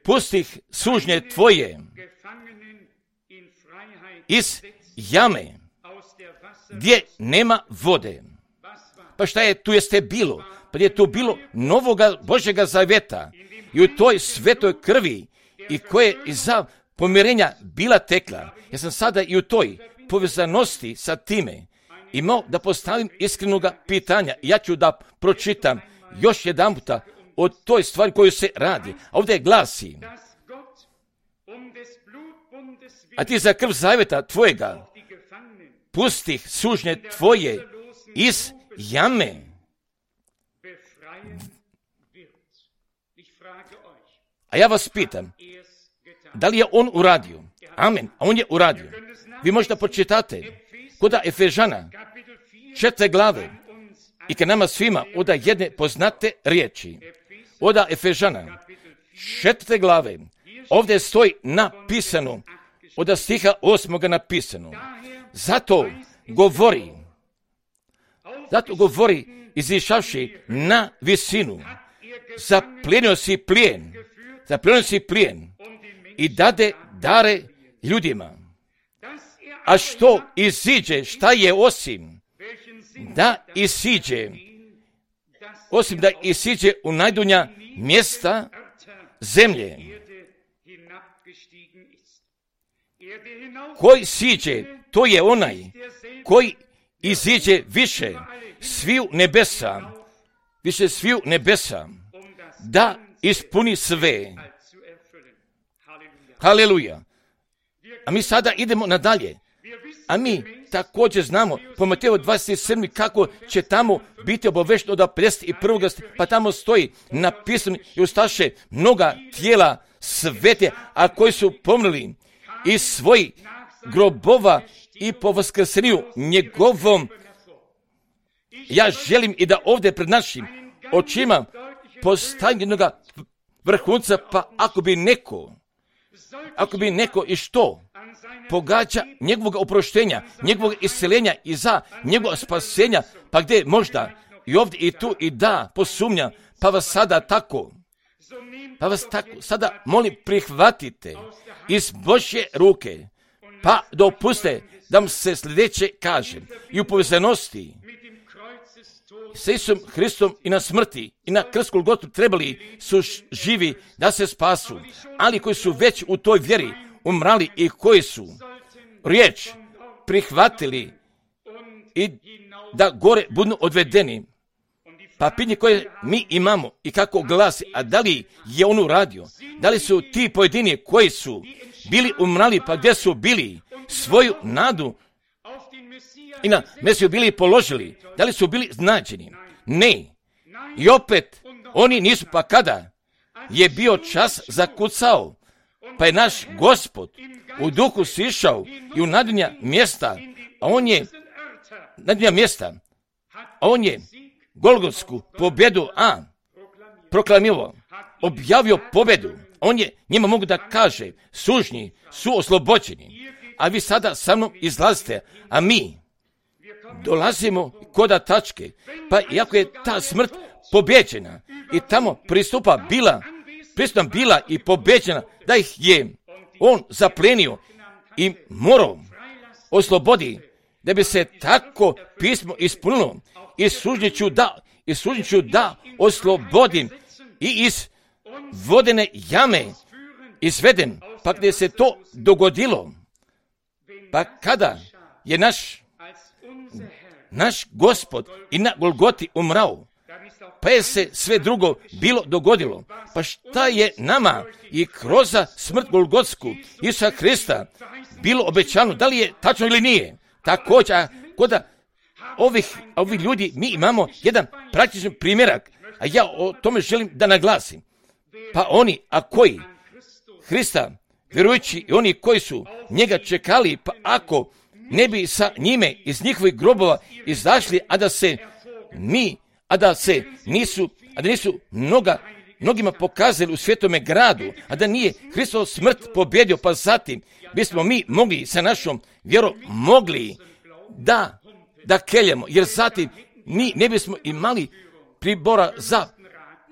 pustih sužnje tvoje iz jame gdje nema vode. Pa šta je tu jeste bilo? Pa je tu bilo novoga Božjega zaveta i u toj svetoj krvi i koje iza pomirenja bila tekla. Ja sam sada i u toj povezanosti sa time imao da postavim iskrenoga pitanja. Ja ću da pročitam još jedan puta o toj stvari koju se radi. A ovdje glasi: a ti za krv zaveta tvojega pustih sužnje tvoje iz jame. A ja vas pitam, da li je on uradio? Amen. A on je uradio. Vi možete počitate kod Efežana 4. glave i kad nama svima oda jedne poznate riječi. Od Efežana 4. glave ovdje stoji napisano, od stiha 8. napisano. Zato govori izišavši na visinu, zaplijenio si plijen i dade dare ljudima. A što iziđe, šta je osim da isiđe u najdunja mjesta zemlje. Koji siđe, to je onaj koji iziđe više sviju nebesa, da ispuni sve. Haleluja. A mi sada idemo nadalje. A mi također znamo po Mateju 27. kako će tamo biti obavešteno od 51. pa tamo stoji napisano i ustaše mnoga tijela svete, a koji su pomrli iz svojih grobova i po vaskrsenju njegovom. Ja želim i da ovdje pred našim očima postavim jednog vrhunca, pa ako bi neko i što pogađa njegovog oproštenja, njegovog isceljenja i za njegovog spasenja, pa gdje možda i ovdje i tu i da posumnja, pa vas sada molim prihvatite iz Božje ruke, pa dopuste da vam se sljedeće kaže i u povezanosti s Isusom Hristom i na smrti i na krstu Golgotu trebali su živi da se spasu, ali koji su već u toj vjeri umrali i koji su riječ prihvatili i da gore budu odvedeni. Pa pitanje koje mi imamo i kako glasi, a da li je on uradio? Da li su ti pojedini koji su bili umrali, pa gdje su bili svoju nadu i na Mesiju bili položili? Da li su bili znađeni? Ne. I opet oni nisu, pa kada je bio čas zakucao, pa je naš Gospod u duhu sišao i u nadunja mjesta, a on je Golgotsku pobjedu proklamirao, objavio pobjedu. On je njima mogu da kaže, sužnji su oslobođeni, a vi sada sa mnom izlazite, a mi dolazimo koda tačke, pa iako je ta smrt pobjeđena i tamo pristupa bila i pobjeđena, da ih je on zaplenio i morao oslobodi, da bi se tako pismo ispunilo i sužnjiću da oslobodim i iz vodene jame izveden. Pa gdje se to dogodilo, pa kada je naš Gospod i na Golgoti umrao, pa je se sve drugo bilo dogodilo. Pa šta je nama i kroz smrt Golgotsku Isusa Hrista bilo obećano, da li je tačno ili nije? Također, kod ovih ljudi mi imamo jedan praktičan primjerak, a ja o tome želim da naglasim. Pa oni, a koji Hrista vjerujući i oni koji su njega čekali, pa ako ne bi sa njime iz njihovih grobova izašli, a da nisu mnogima pokazali u svetome gradu, a da nije Hristov smrt pobjedio, pa zatim bismo mi mogli sa našom vjerom mogli da keljemo, jer zatim mi ne bismo imali pribora za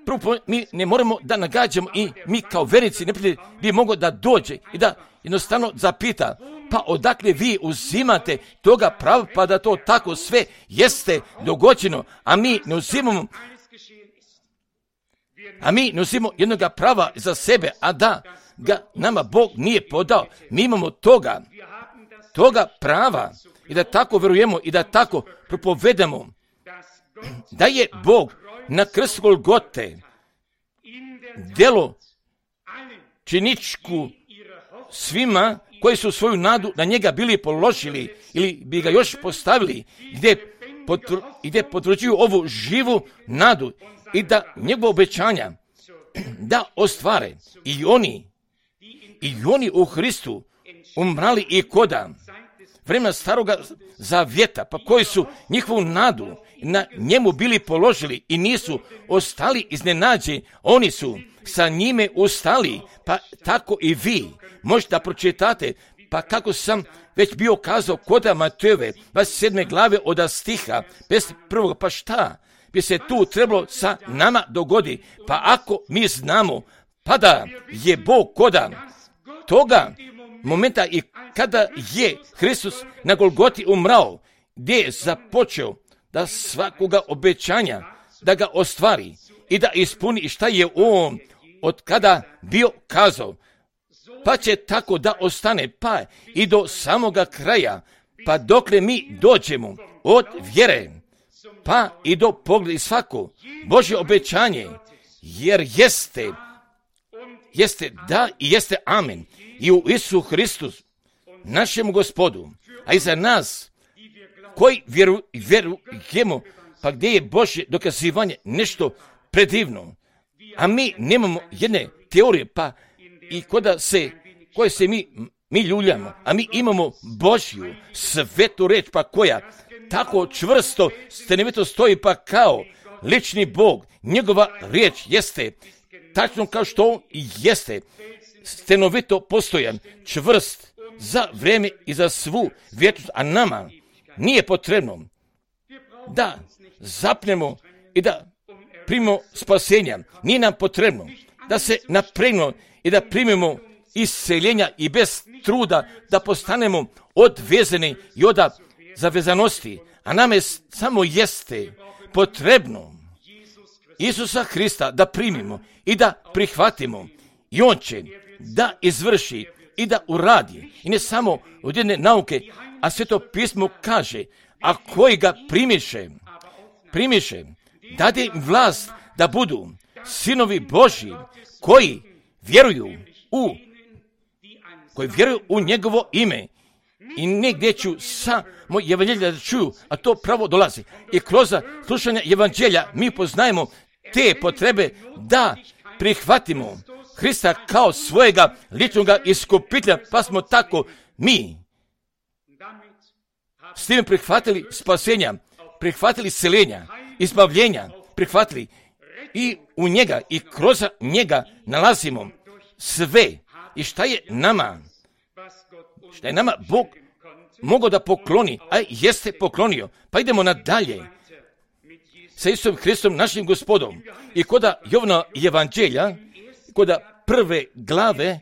prvo, mi ne moramo da nagađamo i mi kao vernici ne bi moglo da dođe i da jednostavno zapita, pa odakle vi uzimate toga prava, pa da to tako sve jeste dogođeno, a mi ne uzimamo jednoga prava za sebe, a da ga nama Bog nije podao. Mi imamo toga prava i da tako vjerujemo i da tako propovedamo da je Bog na krstu Golgote djelo činičku svima koji su svoju nadu na njega bili položili ili bi ga još postavili, gdje potvrđuju ovu živu nadu i da njegova obećanja da ostvare i oni u Hristu umrali i koda vremena staroga zavjeta, pa koji su njihovu nadu na njemu bili položili i nisu ostali iznenađeni, oni su sa njime ustali, pa tako i vi možete da pročitate, pa kako sam već bio kazao koda Matejove 27. glave od stiha 51. Pa šta bi se tu trebalo sa nama dogodi? Pa ako mi znamo, pa da je Bog koda toga momenta i kada je Hristos na Golgoti umrao, gdje je započeo da svakoga obećanja da ga ostvari i da ispuni šta je on od kada bio kazao, pa će tako da ostane, pa i do samoga kraja, pa dokle mi dođemo od vjere, pa i do pogleda svako Božje obećanje, jer jeste da i jeste amen i u Isusu Hristu, našemu Gospodu, a i za nas koji vjerujemo, pa gdje je Božje dokazivanje nešto predivno, a mi nemamo jedne teorije, pa i koje se mi ljuljamo, a mi imamo Božju svetu reč, pa koja tako čvrsto stenovito stoji, pa kao lični Bog, njegova riječ jeste tačno kao što on jeste, stenovito postojan, čvrst za vrijeme i za svu vječnost, a nama nije potrebno da zapnemo i da primimo spasenja. Nije nam potrebno da se napregnemo i da primimo isceljenja i bez truda da postanemo odvezani i od zavezanosti, a nama je samo jeste potrebno Isusa Hrista da primimo i da prihvatimo i on će da izvrši i da uradi. I ne samo od jedne nauke, a Sveto pismo kaže, a koji ga primiše, dade im vlast da budu sinovi Božji koji vjeruju u njegovo ime. I negdje ću samo evanđelja da čuju, a to pravo dolazi. I kroz slušanje evanđelja mi poznajemo te potrebe da prihvatimo Hrista kao svojega ličnoga iskupitelja, pa smo tako mi s tim prihvatili spasenja, prihvatili isceljenja, izbavljenja, prihvatili i u njega i kroz njega nalazimo sve. I šta je nama Bog mogao da pokloni, a jeste poklonio. Pa idemo nadalje sa Isusom Hristom, našim Gospodom. I koda Jovana evanđelja, koda 1. glave,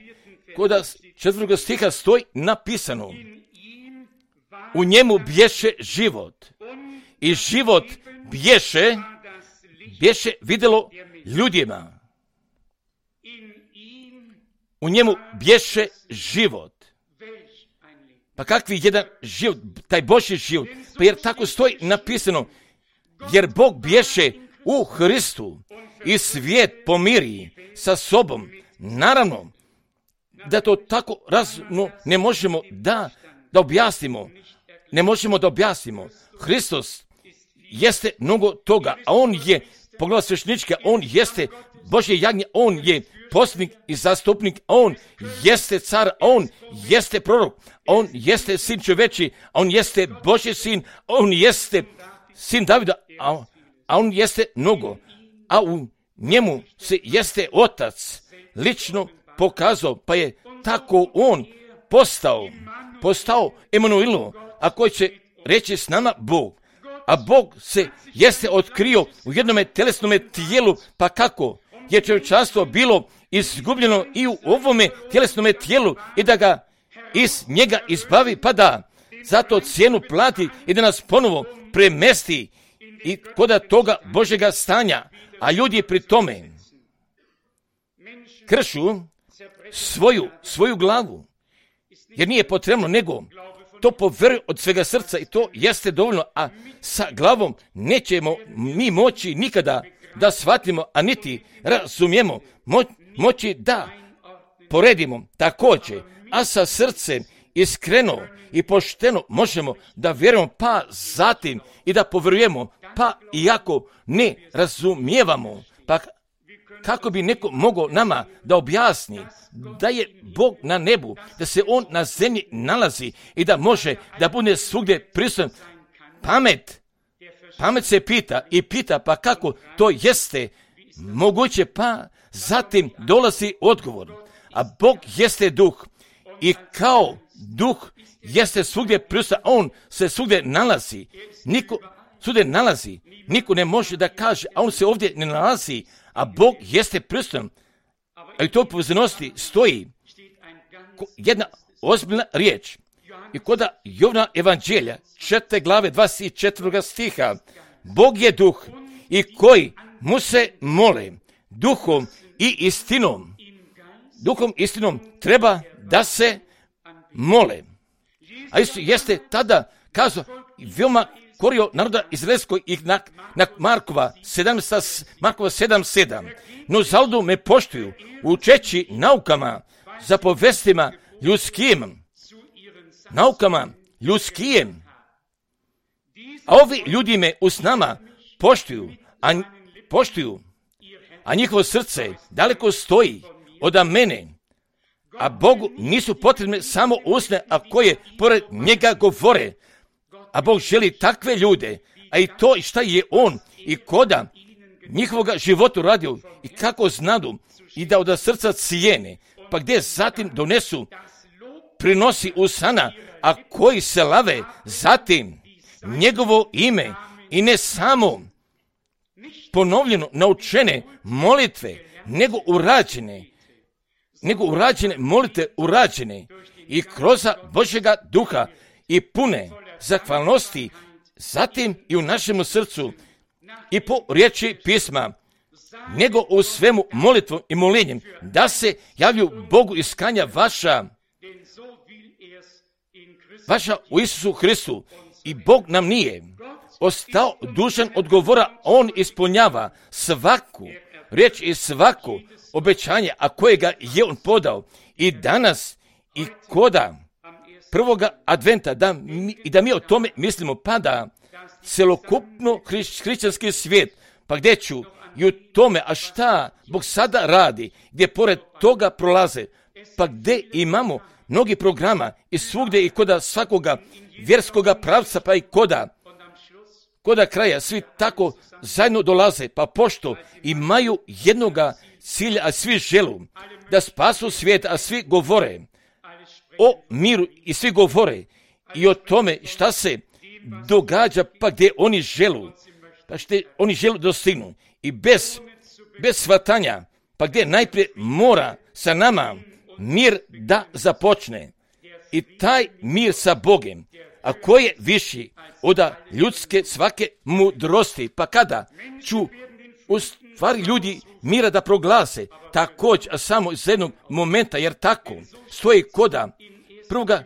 koda 4. stiha stoji napisano, u njemu bješe život i život bješe vidjelo ljudima. U njemu bješe život. Pa kakvi jedan život, taj Božji život, pa jer tako stoji napisano, jer Bog bješe u Hristu i svijet pomiri sa sobom. Naravno, da to tako razumno ne možemo da objasnimo. Ne možemo da objasnimo. Hristos jeste mnogo toga, a on je pogleda sveštenička, on jeste Božje jagnje, on je poslanik i zastupnik, on jeste car, on jeste prorok, on jeste sin čoveči, on jeste Božji sin, on jeste sin Davida, a on jeste mnogo, a u njemu se jeste otac lično pokazao, pa je tako on postao Emanuilo, a koji će reći s nama Bog. A Bog se jeste otkrio u jednome telesnome tijelu, pa kako je čovječanstvo bilo izgubljeno i u ovome tjelesnome tijelu i da ga iz njega izbavi, pa da zato cijenu plati i da nas ponovo premesti i kod toga Božjega stanja, a ljudi pri tome kršu svoju glavu, jer nije potrebno nego to povjeruju od svega srca i to jeste dovoljno, a sa glavom nećemo mi moći nikada da shvatimo, a niti razumijemo, moći da poredimo također, a sa srcem iskreno i pošteno možemo da vjerujemo, pa zatim i da povjerujemo, pa iako ne razumijevamo, pa kako bi neko mogao nama da objasni da je Bog na nebu, da se On na zemlji nalazi i da može da bude svugdje prisutan. Pamet se pita pa kako to jeste moguće, pa zatim dolazi odgovor. A Bog jeste duh i kao duh jeste svugdje prisutan, On se svugdje nalazi. Niko ne može da kaže, a On se ovdje ne nalazi, a Bog jeste prisutan. A i to povezanosti stoji jedna ozbiljna riječ. I kod Jovana evanđelja, 4. glave 24. stiha, Bog je duh i koji mu se mole duhom i istinom. Duhom i istinom treba da se mole. A Isus jeste tada kazao, veoma korio naroda izraelskog i na Markova 7.7. No zalud me poštuju, učeći naukama, zapovestima ljudskim. Naukama ljudskim. A ovi ljudi me uz nama poštuju, a njihovo srce daleko stoji od mene. A Bogu nisu potrebne samo usne, a koje pored njega govore. A Bog želi takve ljude, a i to šta je On i koda njihovoga životu radio i kako znadu i da od srca cijene, pa gdje zatim donesu prinosi usana, a koji se lave zatim njegovo ime i ne samo ponovljeno naučene molitve, nego urađene molitve urađene i kroz Božjega duha i pune zahvalnosti, zatim i u našem srcu i po riječi pisma, nego u svemu molitvom i molenjem, da se javlju Bogu iskanja vaša u Isusu Hristu. I Bog nam nije ostao dužan odgovora, On ispunjava svaku riječ i svako obećanje, a kojega je On podao i danas i koda prvoga adventa, da mi o tome mislimo, pa da celokupno hrišćanski svijet, pa gdje ću i u tome, a šta Bog sada radi, gdje pored toga prolaze, pa gdje imamo mnogi programa i svugdje i koda svakoga vjerskoga pravca, pa i koda kraja, svi tako zajedno dolaze, pa pošto imaju jednoga cilja, a svi želu da spasu svijet, a svi govore o miru i svi govore i o tome šta se događa, pa gdje oni želu, pa što oni želu dostignu i bez shvatanja, pa gdje najprije mora sa nama mir da započne i taj mir sa Bogem, a koji je viši od ljudske svake mudrosti, pa kada ću u stvari ljudi mira da proglase, također, a samo iz jednog momenta, jer tako stoji koda 1.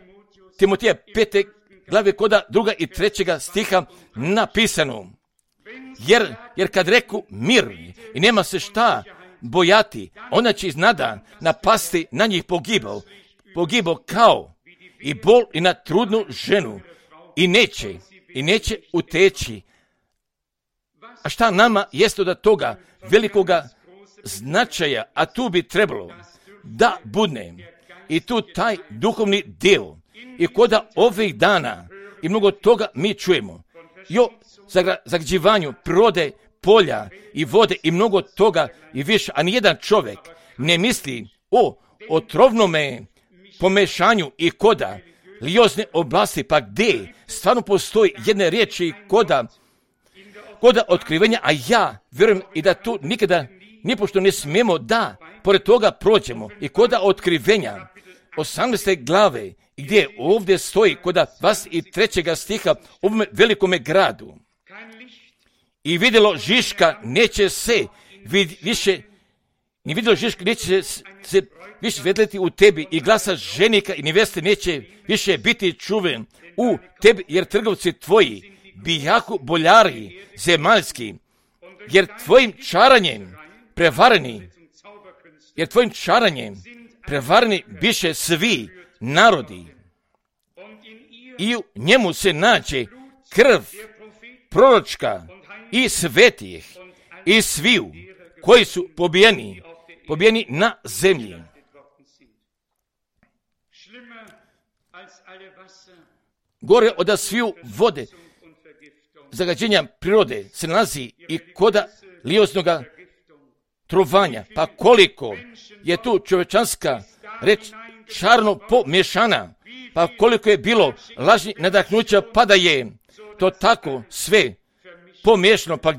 Timoteja 5. glave koda 2. i 3. stiha napisano. Jer kad reku mir i nema se šta bojati, ona će iznada napasti na njih pogibao kao i bol i na trudnu ženu i neće uteći. A šta nama jeste od toga velikoga značaja, a tu bi trebalo da budne i tu taj duhovni dio i koda ovih dana i mnogo toga mi čujemo i o zagađivanju prirode, polja i vode i mnogo toga i više, a nijedan čovjek ne misli o otrovnome pomešanju i koda liozne oblasti, pa gdje stvarno postoji jedne riječi koda otkrivenja, a ja vjerujem i da tu nikada nipošto ne smijemo da pored toga prođemo i koda otkrivenja 18. glave gdje ovdje stoji kod 23. stiha u ovom velikome gradu. I vidjelo Žiška neće se više, ni vidjelo Žiška neće se više vedleti u tebi i glasa ženika i neveste neće više biti čuven u tebi, jer trgovci tvoji bijahu boljari zemaljski, jer tvojim čaranjem prevareni biše svi narodi. I u njemu se nađe krv proročka i svetih i sviju koji su pobijeni na zemlji. Gore od sviju vode zagađenja prirode se nalazi i koda lioznoga trovanja. Pa koliko je tu čovječanska reč čarno pomješana, pa koliko je bilo lažnih nadahnuća, pa da je to tako sve pomiješano, pa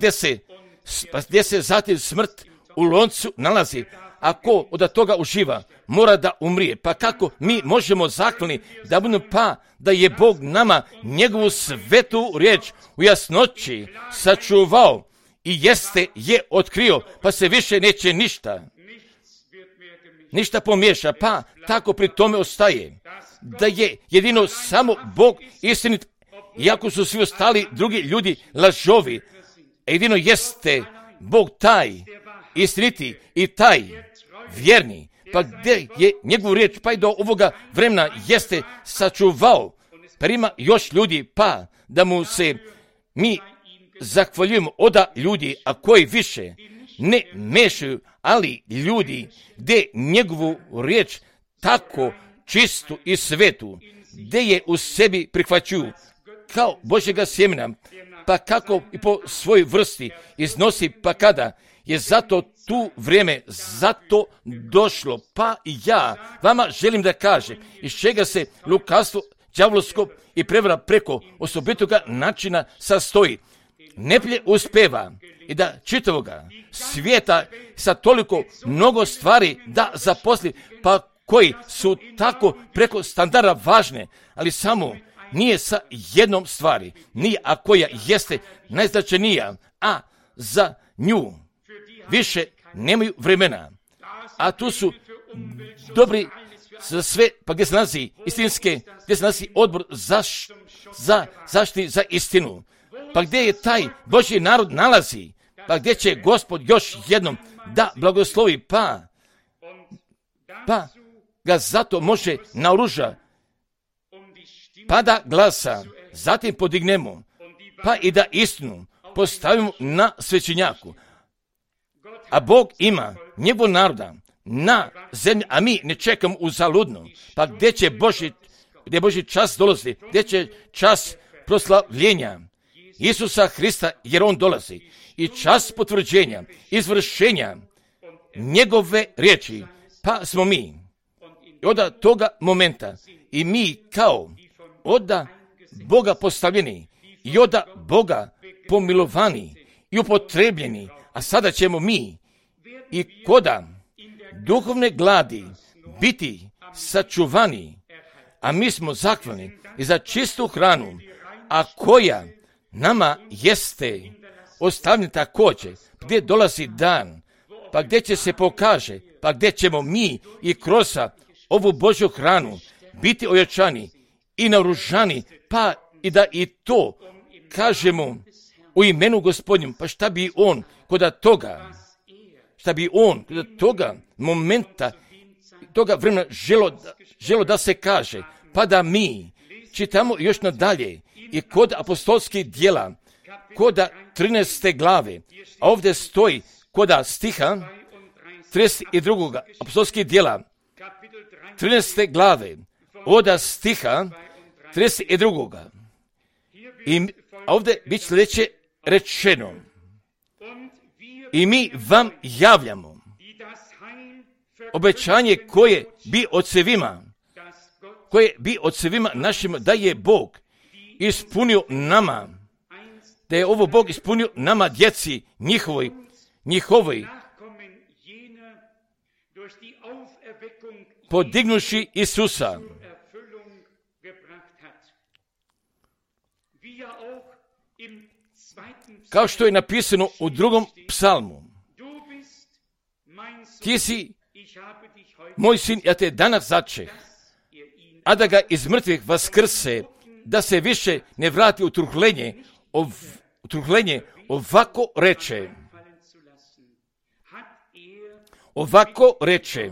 gdje se zatim smrt u loncu nalazi, a ko od toga uživa, mora da umrije. Pa kako mi možemo zahvalni da budemo, pa da je Bog nama njegovu svetu riječ u jasnoći sačuvao i je otkrio, pa se više neće ništa pomiješa, pa tako pri tome ostaje da je jedino samo Bog istinit, iako su svi ostali drugi ljudi lažovi. Jedino jeste Bog taj istiniti i taj vjerni, pa gdje je njegovu riječ pa i do ovoga vremena jeste sačuvao, pa ima još ljudi, pa da mu se mi zahvaljujemo oda ljudi, a koji više ne mešaju, ali ljudi gdje njegovu riječ tako čistu i svetu, gdje je u sebi prihvaćuju kao Božjega sjemena, pa kako i po svojoj vrsti iznosi, pa kada je zato tu vrijeme zato došlo, pa i ja vama želim da kažem iz čega se lukavstvo đavolsko i prevara preko osobitoga načina sastoji. Neplje uspeva i da čitavoga svijeta sa toliko mnogo stvari da zaposli, pa koji su tako preko standarda važne, ali samo nije sa jednom stvari, nije, a koja jeste najznačajnija, a za nju više nemaju vremena. A tu su dobri za sve, pa gdje se nalazi istinske, gdje se nalazi odbor za zaštiti za istinu. Pa gdje je taj Božji narod nalazi, pa gdje će Gospod još jednom da blagoslovi, pa ga zato može naoruža, pa da glasa, zatim podignemo, pa i da istinu postavimo na svećenjaku. A Bog ima njegov naroda na zemlji, a mi ne čekamo uzaludno. Pa gdje će Božji čas dolazi, gdje će čas proslavljenja Isusa Hrista, jer on dolazi. I čas potvrđenja, izvršenja njegove riječi, pa smo mi od toga momenta i mi kao od Boga postavljeni i od Boga pomilovani i upotrebljeni, a sada ćemo mi i koda duhovne gladi biti sačuvani, a mi smo zahvalni i za čistu hranu, a koja nama jeste ostavljena također, gdje dolazi dan, pa gdje će se pokaže, pa gdje ćemo mi i kroz ovu Božju hranu biti ojačani i naoružani, pa i da i to kažemo u imenu Gospodnjem, pa šta bi on kod toga momenta, toga vremena želo da se kaže, pa da mi čitamo još nadalje i kod apostolskih djela, kod 13. glave, a ovdje stoji kod stiha 32. apostolskih djela, 13. glave, od stiha 32. I ovdje bit sljedeće rečeno: i mi vam javljamo obećanje koje bi ocevima našima, da je Bog ispunio nama, da je ovo Bog ispunio nama, djeci njihovoj, podignuši Isusa Kao što je napisano u 2. psalmu. Ti si moj sin, ja te danas začeh, a da ga iz mrtvih vaskrse, da se više ne vrati u truhlenje, ovako reče. Ovako reče,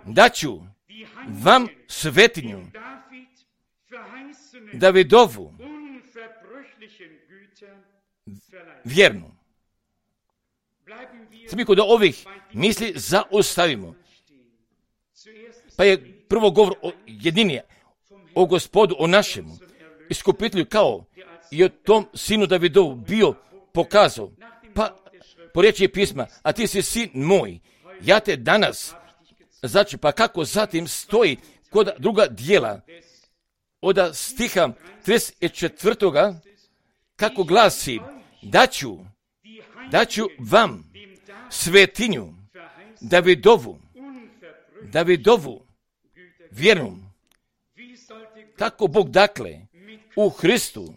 daću vam svetinju, Davidovu, vjernu. Sad mi kod ovih misli zaustavimo. Pa je prvo govor o jedini, o Gospodu, o našemu iskupitelju, kao i o tom sinu Davidovu bio pokazao. Pa po riječi pisma, a ti si sin moj, ja te danas začeo. Pa kako zatim stoji kod druga dijela od stiha 34. kako glasi, daću vam svetinju Davidovu vjernu. Kako Bog dakle u Hristu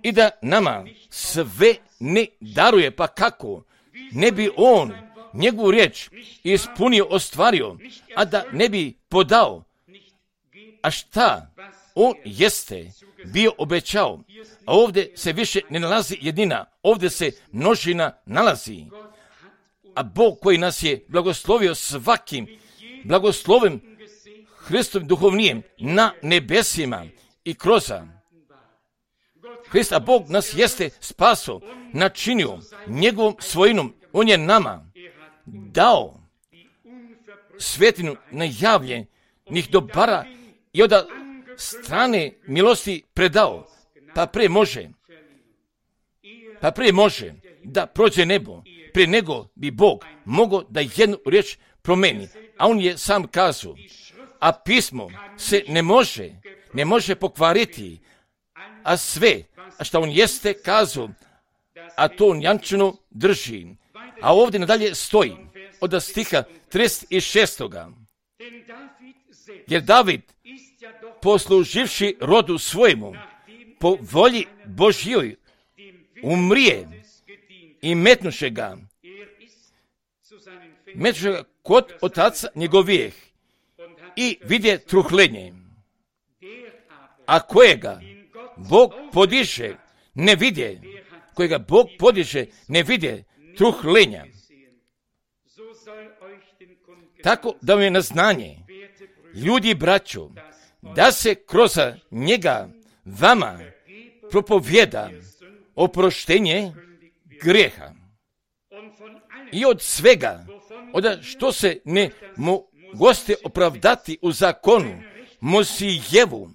i da nama sve ne daruje, pa kako ne bi on njegovu riječ ispunio, ostvario, a da ne bi podao, a šta on jeste bio obećao. A ovdje se više ne nalazi jednina, ovdje se množina nalazi. A Bog koji nas je blagoslovio svakim blagoslovim Hristovim duhovnijem na nebesima i kroz Hrista, Bog nas jeste spaso, načinio njegovom svojinom. On je nama dao svetinu najavljenih dobara i od strane milosti predao. Pa prije može da prođe nebo, prije nego bi Bog mogao da jednu riječ promeni. A on je sam kazao, a pismo se ne može pokvariti, a sve, a što on jeste kazao, a to on jamčeno drži. A ovdje nadalje stoji od stiha 36. Jer David, posluživši rodu svojemu, po volji Božjoj, umrije i metnuše ga kod otaca njegovijeh i vidje truhlenje, a kojega Bog podiže ne vidje truhlenja. Tako da vam je na znanje, ljudi braćo, da se kroz njega vama propovjeda oproštenje grijeha. I od svega, od što se ne mogoste opravdati u zakonu, Mosijevu,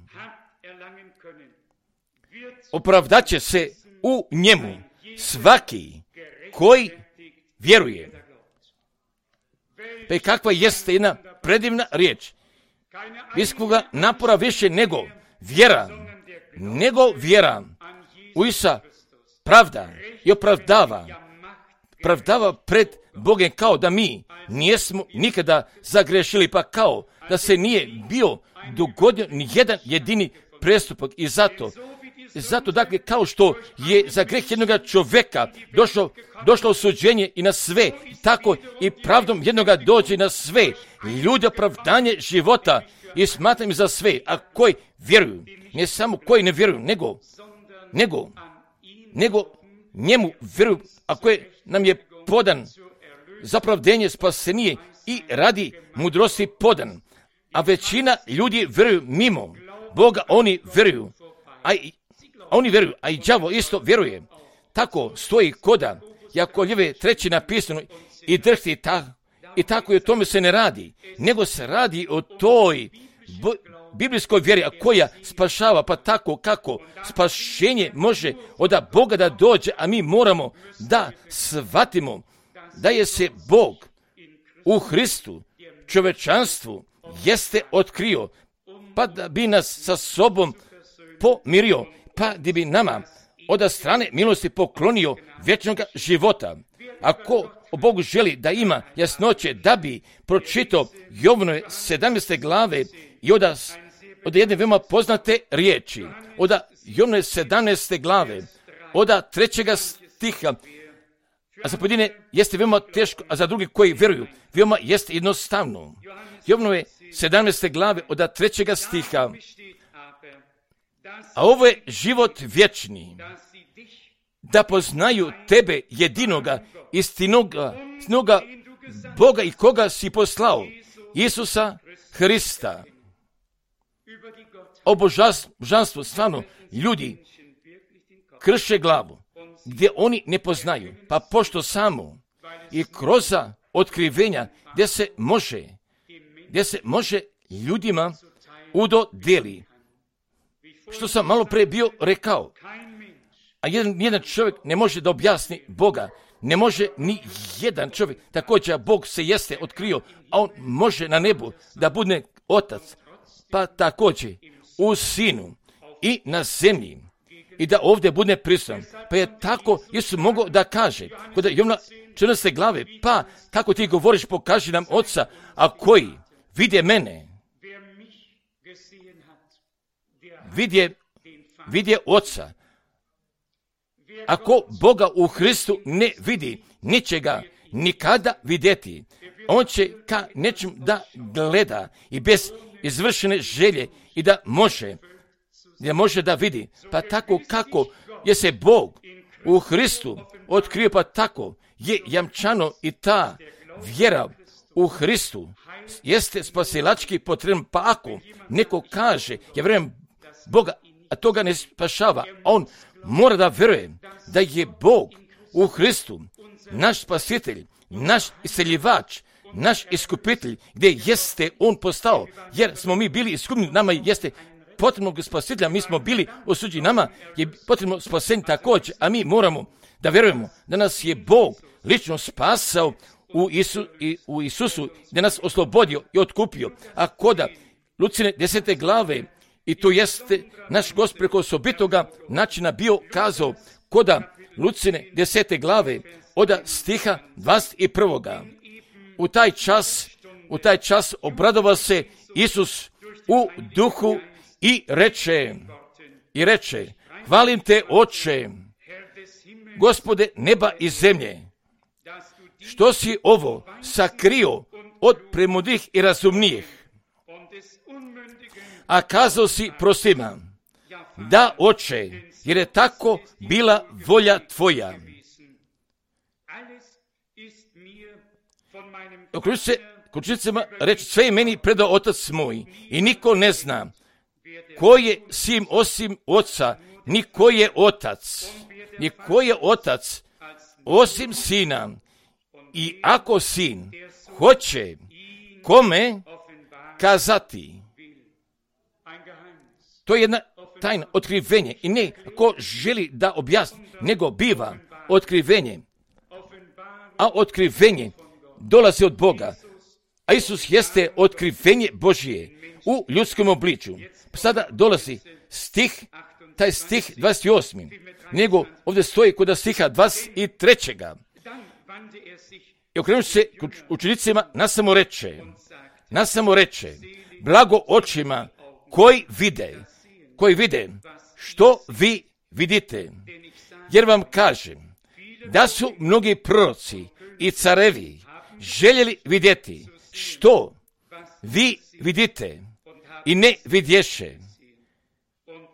opravdat će se u njemu svaki koji vjeruje. Pa i kakva jeste jedna predivna riječ. Visokog napora više nego vjera u Isusa pravda i opravdava pred Bogom, kao da mi nismo nikada zagrešili, pa kao da se nije bio dogodio ni jedan jedini prestupak. I zato dakle, kao što je za greh jednoga čovjeka došlo osuđenje i na sve, tako i pravdom jednoga dođe na sve ljudi opravdanje života i smatram za sve, a koji vjeruju, ne samo koji ne vjeruju, nego njemu vjeruju, a koji nam je podan za pravdenje spasenije i radi mudrosti podan. A većina ljudi vjeruju mimo Boga, oni vjeruju, a i đavo isto vjeruje. Tako stoji koda Jakovljeve 3. napisano i drhti i tako i o tome se ne radi, nego se radi o toj biblijskoj vjeri, a koja spašava, pa tako kako spašenje može od Boga da dođe, a mi moramo da shvatimo da je se Bog u Hristu čovečanstvu jeste otkrio, pa da bi nas sa sobom pomirio, pa da bi nama od strane milosti poklonio vječnog života. Ako Bog želi da ima jasnoće, da bi pročitao Jovnove 17. glave i od od jedne veoma poznate riječi, od Jovnove 17. glave, od 3. stiha, a za pojedine jeste veoma teško, a za drugi koji vjeruju, veoma jeste jednostavno. Jovnove 17. glave, od 3. stiha, a ovo je život vječni, da poznaju tebe jedinoga, istinoga Boga i koga si poslao, Isusa Hrista. O božanstvu, stvarno, ljudi krše glavu, gdje oni ne poznaju, pa pošto samo i kroz otkrivenja gdje se može ljudima udodeli. Što sam malo prije bio rekao, a jedan čovjek ne može da objasni Boga, ne može ni jedan čovjek, također Bog se jeste otkrio, a on može na nebu da bude otac, pa također u sinu i na zemlji i da ovdje bude prisutan. Pa je tako Isus mogao da kaže, kod Jovna 14. glave, pa kako ti govoriš, pokaži nam Oca, a koji vidje mene, vidje Oca. Ako Boga u Hristu ne vidi, neće ga nikada vidjeti. On će ka nečem da gleda i bez izvršene želje i da može da vidi. Pa tako kako je se Bog u Hristu otkrio, pa tako je jamčano i ta vjera u Hristu jeste spasilački potreban. Pa ako neko kaže, ja vjerujem Boga, a to ga ne spašava, on mora da vjeruje da je Bog u Hristu naš spasitelj, naš iseljivač, naš iskupitelj, gdje jeste on postao, jer smo mi bili iskupljeni, nama jeste potrebno spasitelja, mi smo bili osuđeni, nama je potrebno spasenje također, a mi moramo da vjerujemo da nas je Bog lično spasao u Isusu, da nas oslobodio i otkupio. A koda Lucine 10. glave, i to jeste naš Gospod preko osobitoga načina bio kazao, koda Lucine 10. glave, od stiha 21. U taj čas obradovao se Isus u duhu i reče, hvalim te, Oče, Gospode neba i zemlje, što si ovo sakrio od premudrih i razumnijih, a kazao si prostima, da, Oče, jer je tako bila volja tvoja. Okručnicama reći, sve je meni predao Otac moj i niko ne zna ko je sin osim Oca, ni ko je Otac osim Sina. I ako Sin hoće kome kazati, to je jedna tajna, otkrivenje. I ne ko želi da objasni, nego biva otkrivenje. A otkrivenje dolazi od Boga. A Isus jeste otkrivenje Božije u ljudskom obličju. Sada dolazi taj stih 28. Nego ovdje stoji kod stiha 23. I okrenući se učenicima nasamo reče, blago očima koji vide što vi vidite. Jer vam kažem da su mnogi proroci i carevi željeli vidjeti što vi vidite i ne vidješe,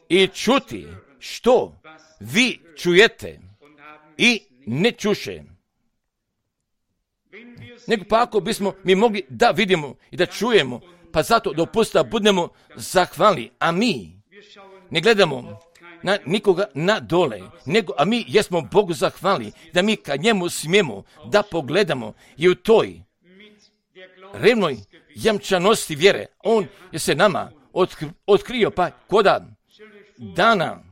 i čuti što vi čujete i ne čuše. Nego pa ako bismo mi mogli da vidimo i da čujemo, pa zato dopusta budemo zahvalni, a mi ne gledamo na nikoga na dole, a mi jesmo Bogu zahvalni, da mi kad njemu smijemo da pogledamo i u toj revnoj jamčanosti vjere, on je se nama otkrio, pa koda dana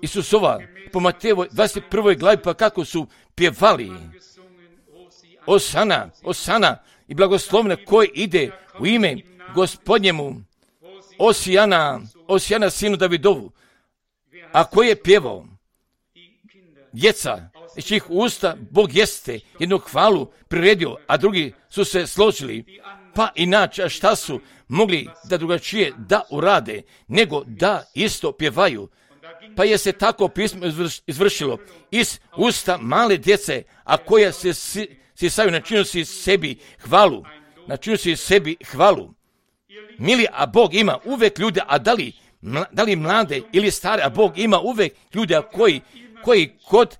Isusova po Matejevoj 21. glavi, pa kako su pjevali Osana i blagoslovne koji ide u ime Gospodnjemu, Osijana sinu Davidovu, a koji je pjevao djeca iz čijih usta Bog jeste jednu hvalu priredio, a drugi su se složili, pa inače, šta su mogli da drugačije da urade, nego da isto pjevaju. Pa je se tako pismo izvršilo iz usta male djece, a koja se sisaju, načinu si sebi hvalu. Načinu si sebi hvalu. Mili, a Bog ima uvek ljude, a da li mlade ili stare, a Bog ima uvek ljude koji kod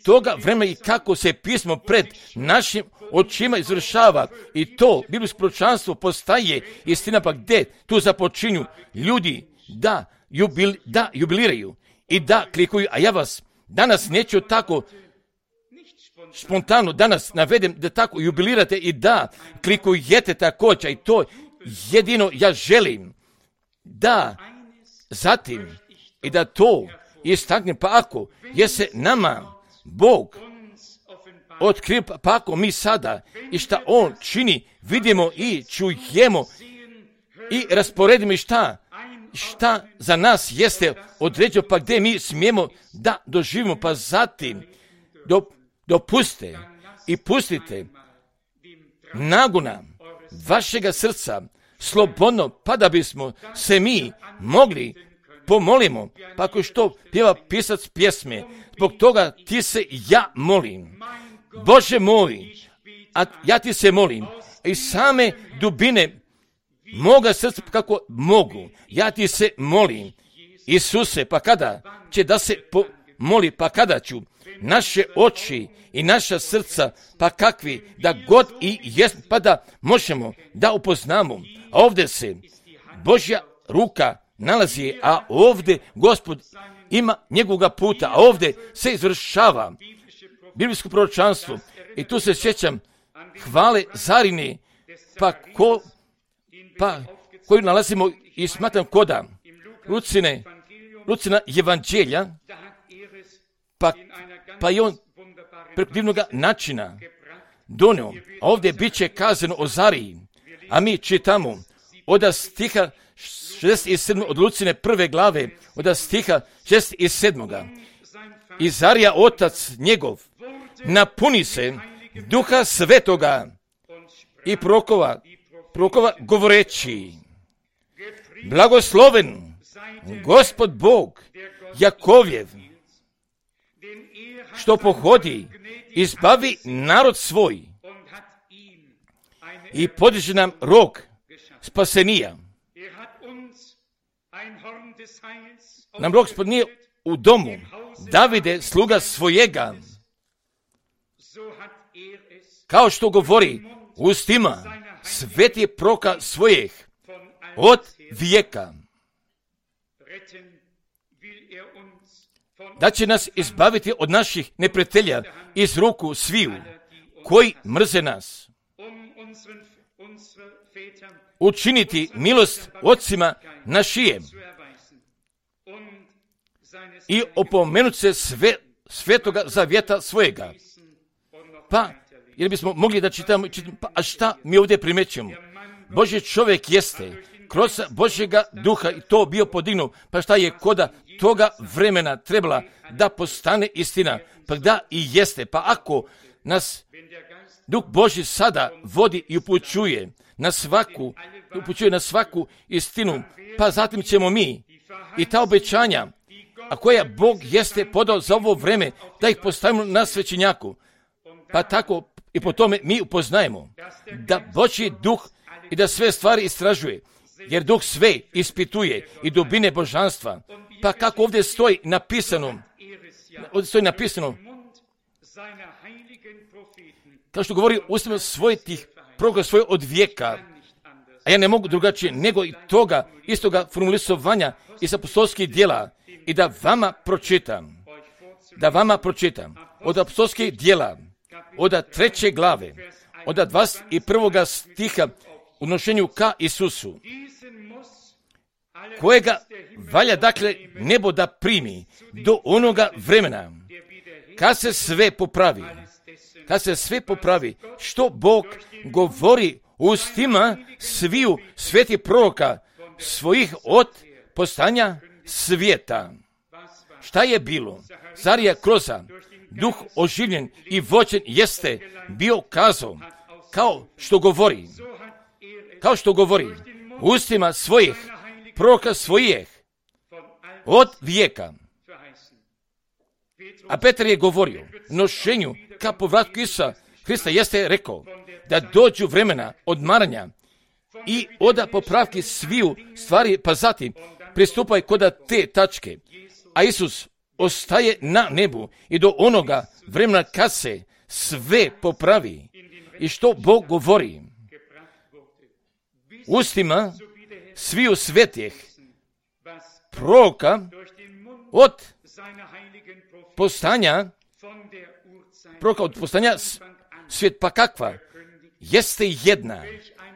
toga vremena i kako se pismo pred našim očima izvršava i to biblijsko proročanstvo postaje istina, pa gdje tu započinju ljudi da jubiliraju i da klikuju, a ja vas danas neću tako spontano danas navedem da tako jubilirate i da klikujete također i to jedino ja želim da zatim i da to istaknem, pa ako je se nama Bog otkrio, pa ako mi sada i šta On čini vidimo i čujemo i rasporedimo i šta za nas jeste određeno, pa gdje mi smijemo da doživimo, pa zatim dopuste i pustite nagona vašega srca slobodno, pa da bismo se mi mogli pomolimo, pa ako što pjeva pisac pjesme, zbog toga ti se ja molim. Bože moj, a ja ti se molim i same dubine moga srca kako mogu, ja ti se molim. Isuse, pa kada će da se moli, pa kada ću naše oči i naša srca, pa kakvi da god i jest, pa da možemo da upoznamo. A ovdje se Božja ruka nalazi, a ovdje Gospod ima njegovoga puta, a ovdje se izvršava biblijsko proročanstvo. I tu se sjećam hvale Zarine, koju nalazimo i smatram koda Lucina evanđelja, pa i on preko divnog načina donio. A ovdje bit će kazano o Zariji, a mi čitamo od stiha 67. od Lucine prve glave, od stiha 67. I Zarija, otac njegov, napuni se Duha Svetoga i prokova govoreći: blagosloven Gospod Bog Jakovjev, što pohodi, izbavi narod svoj i podiže nam rog spasenija. Nam rog spasenija u domu Davide, sluga svojega, kao što govori ustima sveti proka svojih od vijeka, da će nas izbaviti od naših neprijatelja iz ruku sviju koji mrze nas, učiniti milost ocima našijem i opomenuti se svetoga zavjeta svojega. Pa, jer bismo mogli da čitamo, pa a šta mi ovdje primećujemo? Božji čovjek jeste kroz Božjega duha i to bio podignuo, pa šta je koda toga vremena trebala da postane istina, pa da i jeste, pa ako nas Duh Božji sada vodi i upućuje na svaku istinu, pa zatim ćemo mi i ta obećanja, a koja Bog jeste podao za ovo vreme, da ih postavimo na svećenjaku, pa tako i po tome mi upoznajemo da Božji duh i da sve stvari istražuje, jer duh sve ispituje i dubine božanstva. Pa kako ovdje stoji napisano, kao što govori ustima svojih proroka svoje od vijeka, a ja ne mogu drugačije nego i toga istoga formulisovanja iz apostolskih djela i da vama pročitam od apostolskih djela, od 3. glave, od 21. stiha u nošenju ka Isusu, kojega valja dakle nebo da primi do onoga vremena kad se sve popravi, što Bog govori ustima sviju svetih proroka svojih od postanja svijeta. Šta je bilo? Zarija kroza duh oživljen i vođen jeste bio kazao, kao što govori, kao što govori, ustima svojih, proroka svojih, od vijeka. A Petar je govorio, nošenju ka povratku Isusa Hrista jeste rekao, da dođu vremena odmaranja i oda popravki sviju stvari, pa zatim pristupaj kod te tačke. A Isus ostaje na nebu i do onoga vremena kad se sve popravi. I što Bog govori? Ustima sviju svetih proroka od postanja svijet, pa kakva? Jeste jedna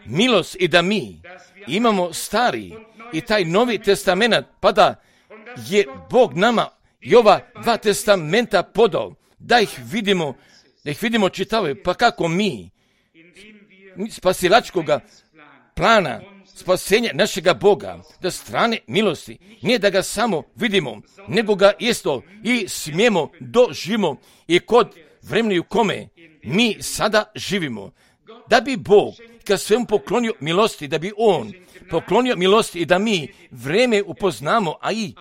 milost i da mi imamo stari i taj Novi testament, pa da je Bog nama i ova dva testamenta podao, da ih vidimo čitave, pa kako mi spasilačkoga plana, spasenja našega Boga, da strane milosti, nije da ga samo vidimo, nego ga isto i smijemo doživimo i kod vremena u kome mi sada živimo. Da bi Bog kad svemu poklonio milosti, da bi On poklonio milosti i da mi vreme upoznamo, a i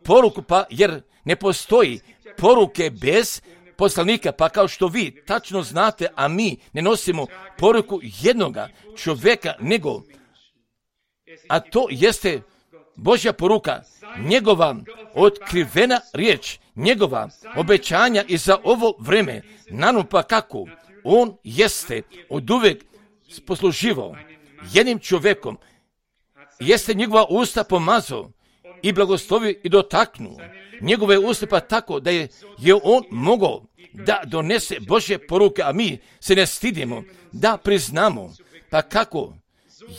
poruku, pa jer ne postoji poruke bez poslanika, pa kao što vi tačno znate, a mi ne nosimo poruku jednoga čovjeka, nego, a to jeste Božja poruka, njegova otkrivena riječ, njegova obećanja i za ovo vreme, naravno pa kako, on jeste oduvek posluživao jednim čovjekom, jeste njegova usta pomazao i blagoslovio i dotaknuo njegove usta, pa tako da je on mogao da donese Božje poruke, a mi se ne stidimo da priznamo, pa kako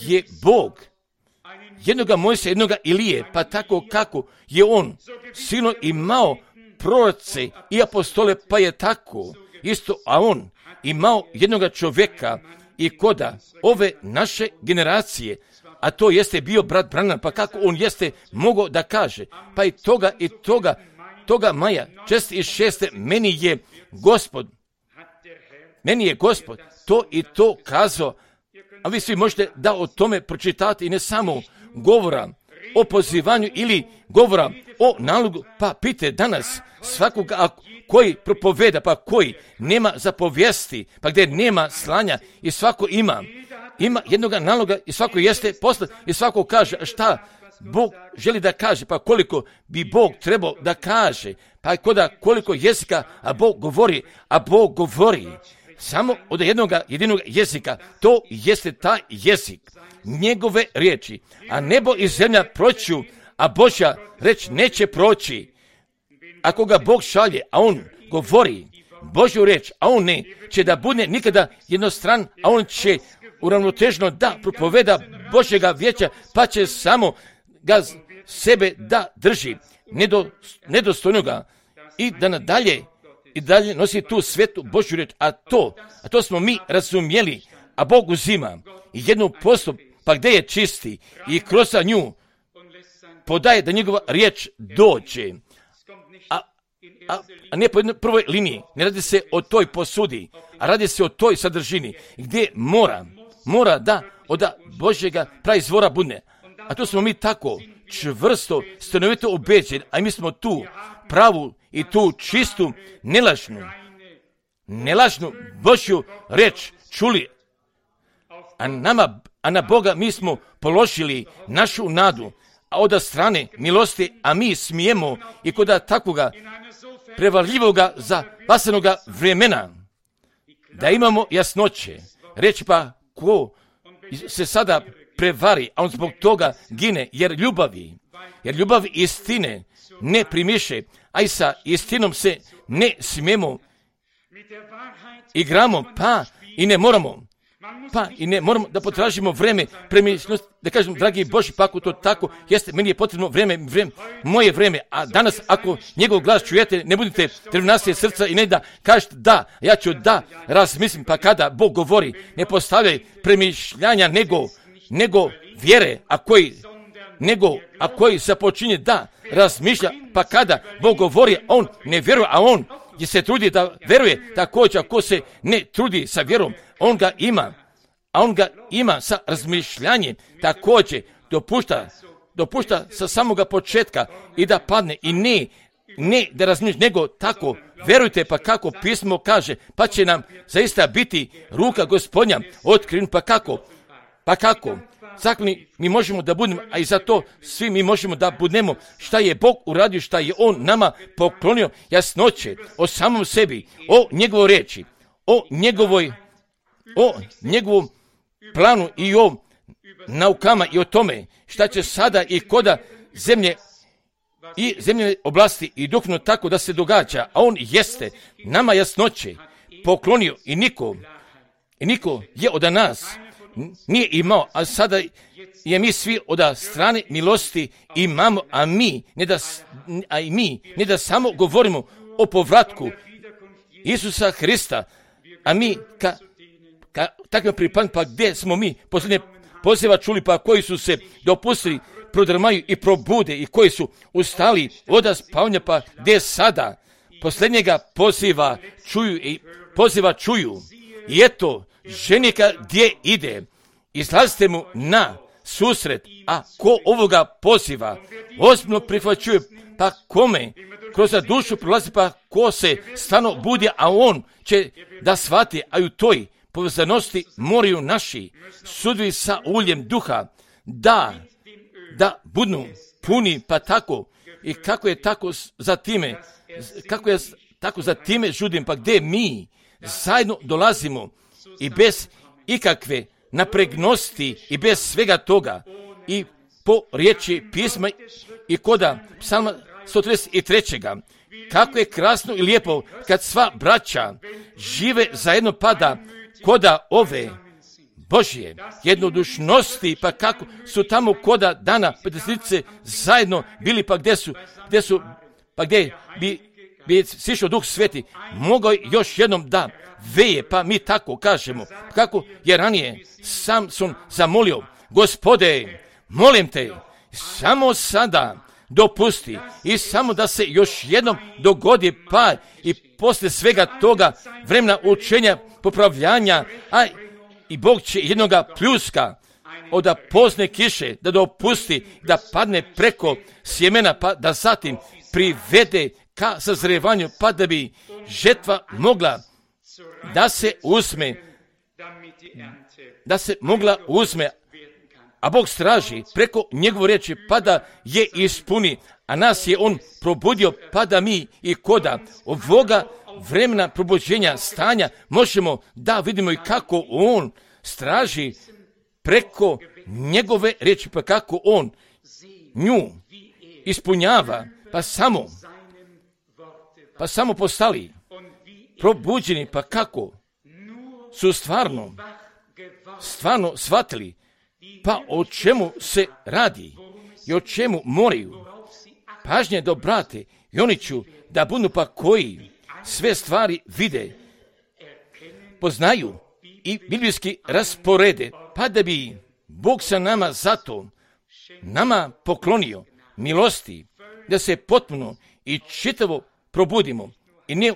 je Bog jednoga Mojsija, jednoga Ilije, pa tako kako je on silno imao proroce i apostole, pa je tako isto, a on imao jednoga čovjeka i koda ove naše generacije, a to jeste bio brat Branham, pa kako on jeste mogao da kaže, pa i toga maja 6. meni je Gospod to i to kazao, a vi svi možete da o tome pročitati i ne samo govora o pozivanju ili govora o nalogu, pa pite danas svakoga koji propoveda, pa koji nema zapovijesti, pa gdje nema slanja i svako ima jednoga naloga i svako jeste poslat i svako kaže šta Bog želi da kaže, pa koliko bi Bog trebao da kaže, pa koliko jezika, a Bog govori samo od jedinog jezika, to jeste taj jezik, njegove riječi, a nebo i zemlja proću, a Božja reč neće proći. Ako ga Bog šalje, a on govori Božju reč, a on ne će da bude nikada jednostran, a on će uravnotežno da propoveda Božjega vijeća, pa će samo ga sebe da drži nedostojnoga i da nadalje i dalje nosi tu svetu Božju reč, a to smo mi razumjeli, a Bog uzima jednu postup, pa gdje je čisti i kroz nju podaje da njegova riječ dođe, a ne po jednoj prvoj liniji. Ne radi se o toj posudi, a radi se o toj sadržini gdje mora da od Božjega praizvora bude. A to smo mi tako čvrsto, stanovito ubeđeni, a mi smo tu pravu i tu čistu, nelažnu Božju reč čuli, a na Boga mi smo položili našu nadu, a od strane milosti, a mi smijemo i kod takvoga prevarljivoga zapasenoga vremena da imamo jasnoće. Reći pa ko se sada prevari, a on zbog toga gine, jer ljubav istine ne primiše, a i sa istinom se ne smijemo igramo, pa i ne moramo da potražimo vreme premišljenosti, da kažem, dragi Boži, pa ako to tako jeste, meni je potrebno moje vreme, a danas ako njegov glas čujete, ne budite drvnastije srca i ne da kažete da, ja ću da razmislim, pa kada Bog govori, ne postavljaj premišljanja nego vjere, a koji započinje da razmišlja, pa kada Bog govori, on ne vjeruje, a on je se trudi da vjeruje, također ako se ne trudi sa vjerom, on ga ima, a on ga ima sa razmišljanjem, također dopušta sa samoga početka i da padne i ne da razmišlja, nego tako, verujte, pa kako pismo kaže, pa će nam zaista biti ruka Gospodnja otkriven, pa kako, zahvalni mi možemo da budemo, a i za to svi mi možemo da budemo, šta je Bog uradio, šta je On nama poklonio, jasnoće o samom sebi, o njegovoj riječi, o njegovom planu i o naukama i o tome šta će sada i koda zemlje i zemljene oblasti i duhovno tako da se događa, a on jeste nama jasnoće poklonio i niko je od nas nije imao, a sada je mi svi od strane milosti imamo, a mi ne da samo govorimo o povratku Isusa Hrista, a mi takve pripadne, pa gdje smo mi posljednje poziva čuli, pa koji su se dopustili prodrmaju i probude i koji su ustali od spavanja, pa gdje sada posljednjega poziva čuju i eto ženika gdje ide, izlazite mu na susret, a ko ovoga poziva ozbiljno prihvaćuje, pa kome kroz dušu prolazi, pa ko se stvarno budi, a on će da shvati, a u toj povezanosti moraju naši sudovi sa uljem duha da budu puni, pa tako i kako je tako za time žudim, pa gdje mi zajedno dolazimo i bez ikakve napregnosti i bez svega toga i po riječi pisma i koda psalma 133. Kako je krasno i lijepo kad sva braća žive zajedno, pada koda ove Božje jednodušnosti, pa kako su tamo koda dana Petresnice zajedno bili, pa gdje bi sišao Duh Sveti, mogao još jednom da veje, pa mi tako kažemo, kako je ranije Samson zamolio, Gospode, molim te, samo sada dopusti i samo da se još jednom dogodi, pa i poslije svega toga vremena učenja, popravljanja, a i Bog će jednoga pljuska od pozne kiše da dopusti da padne preko sjemena, pa da zatim privede ka sazrevanju, pa da bi žetva mogla da se mogla uzme, a Bog straži preko njegove riječi, pa da je ispuni, a nas je on probudio, pa da mi i koda ovoga vremena probuđenja stanja možemo da vidimo i kako on straži preko njegove riječi, pa kako on nju ispunjava, pa samo postali probuđeni, pa kako su stvarno shvatili, pa o čemu se radi i o čemu moraju pažnje da obrate, i oni ću da budu pa koji sve stvari vide, poznaju i biblijski rasporede, pa da bi Bog sa nama zato nama poklonio milosti da se potpuno i čitavo probudimo i ne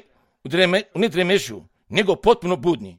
u dremežu, nego potpuno budni.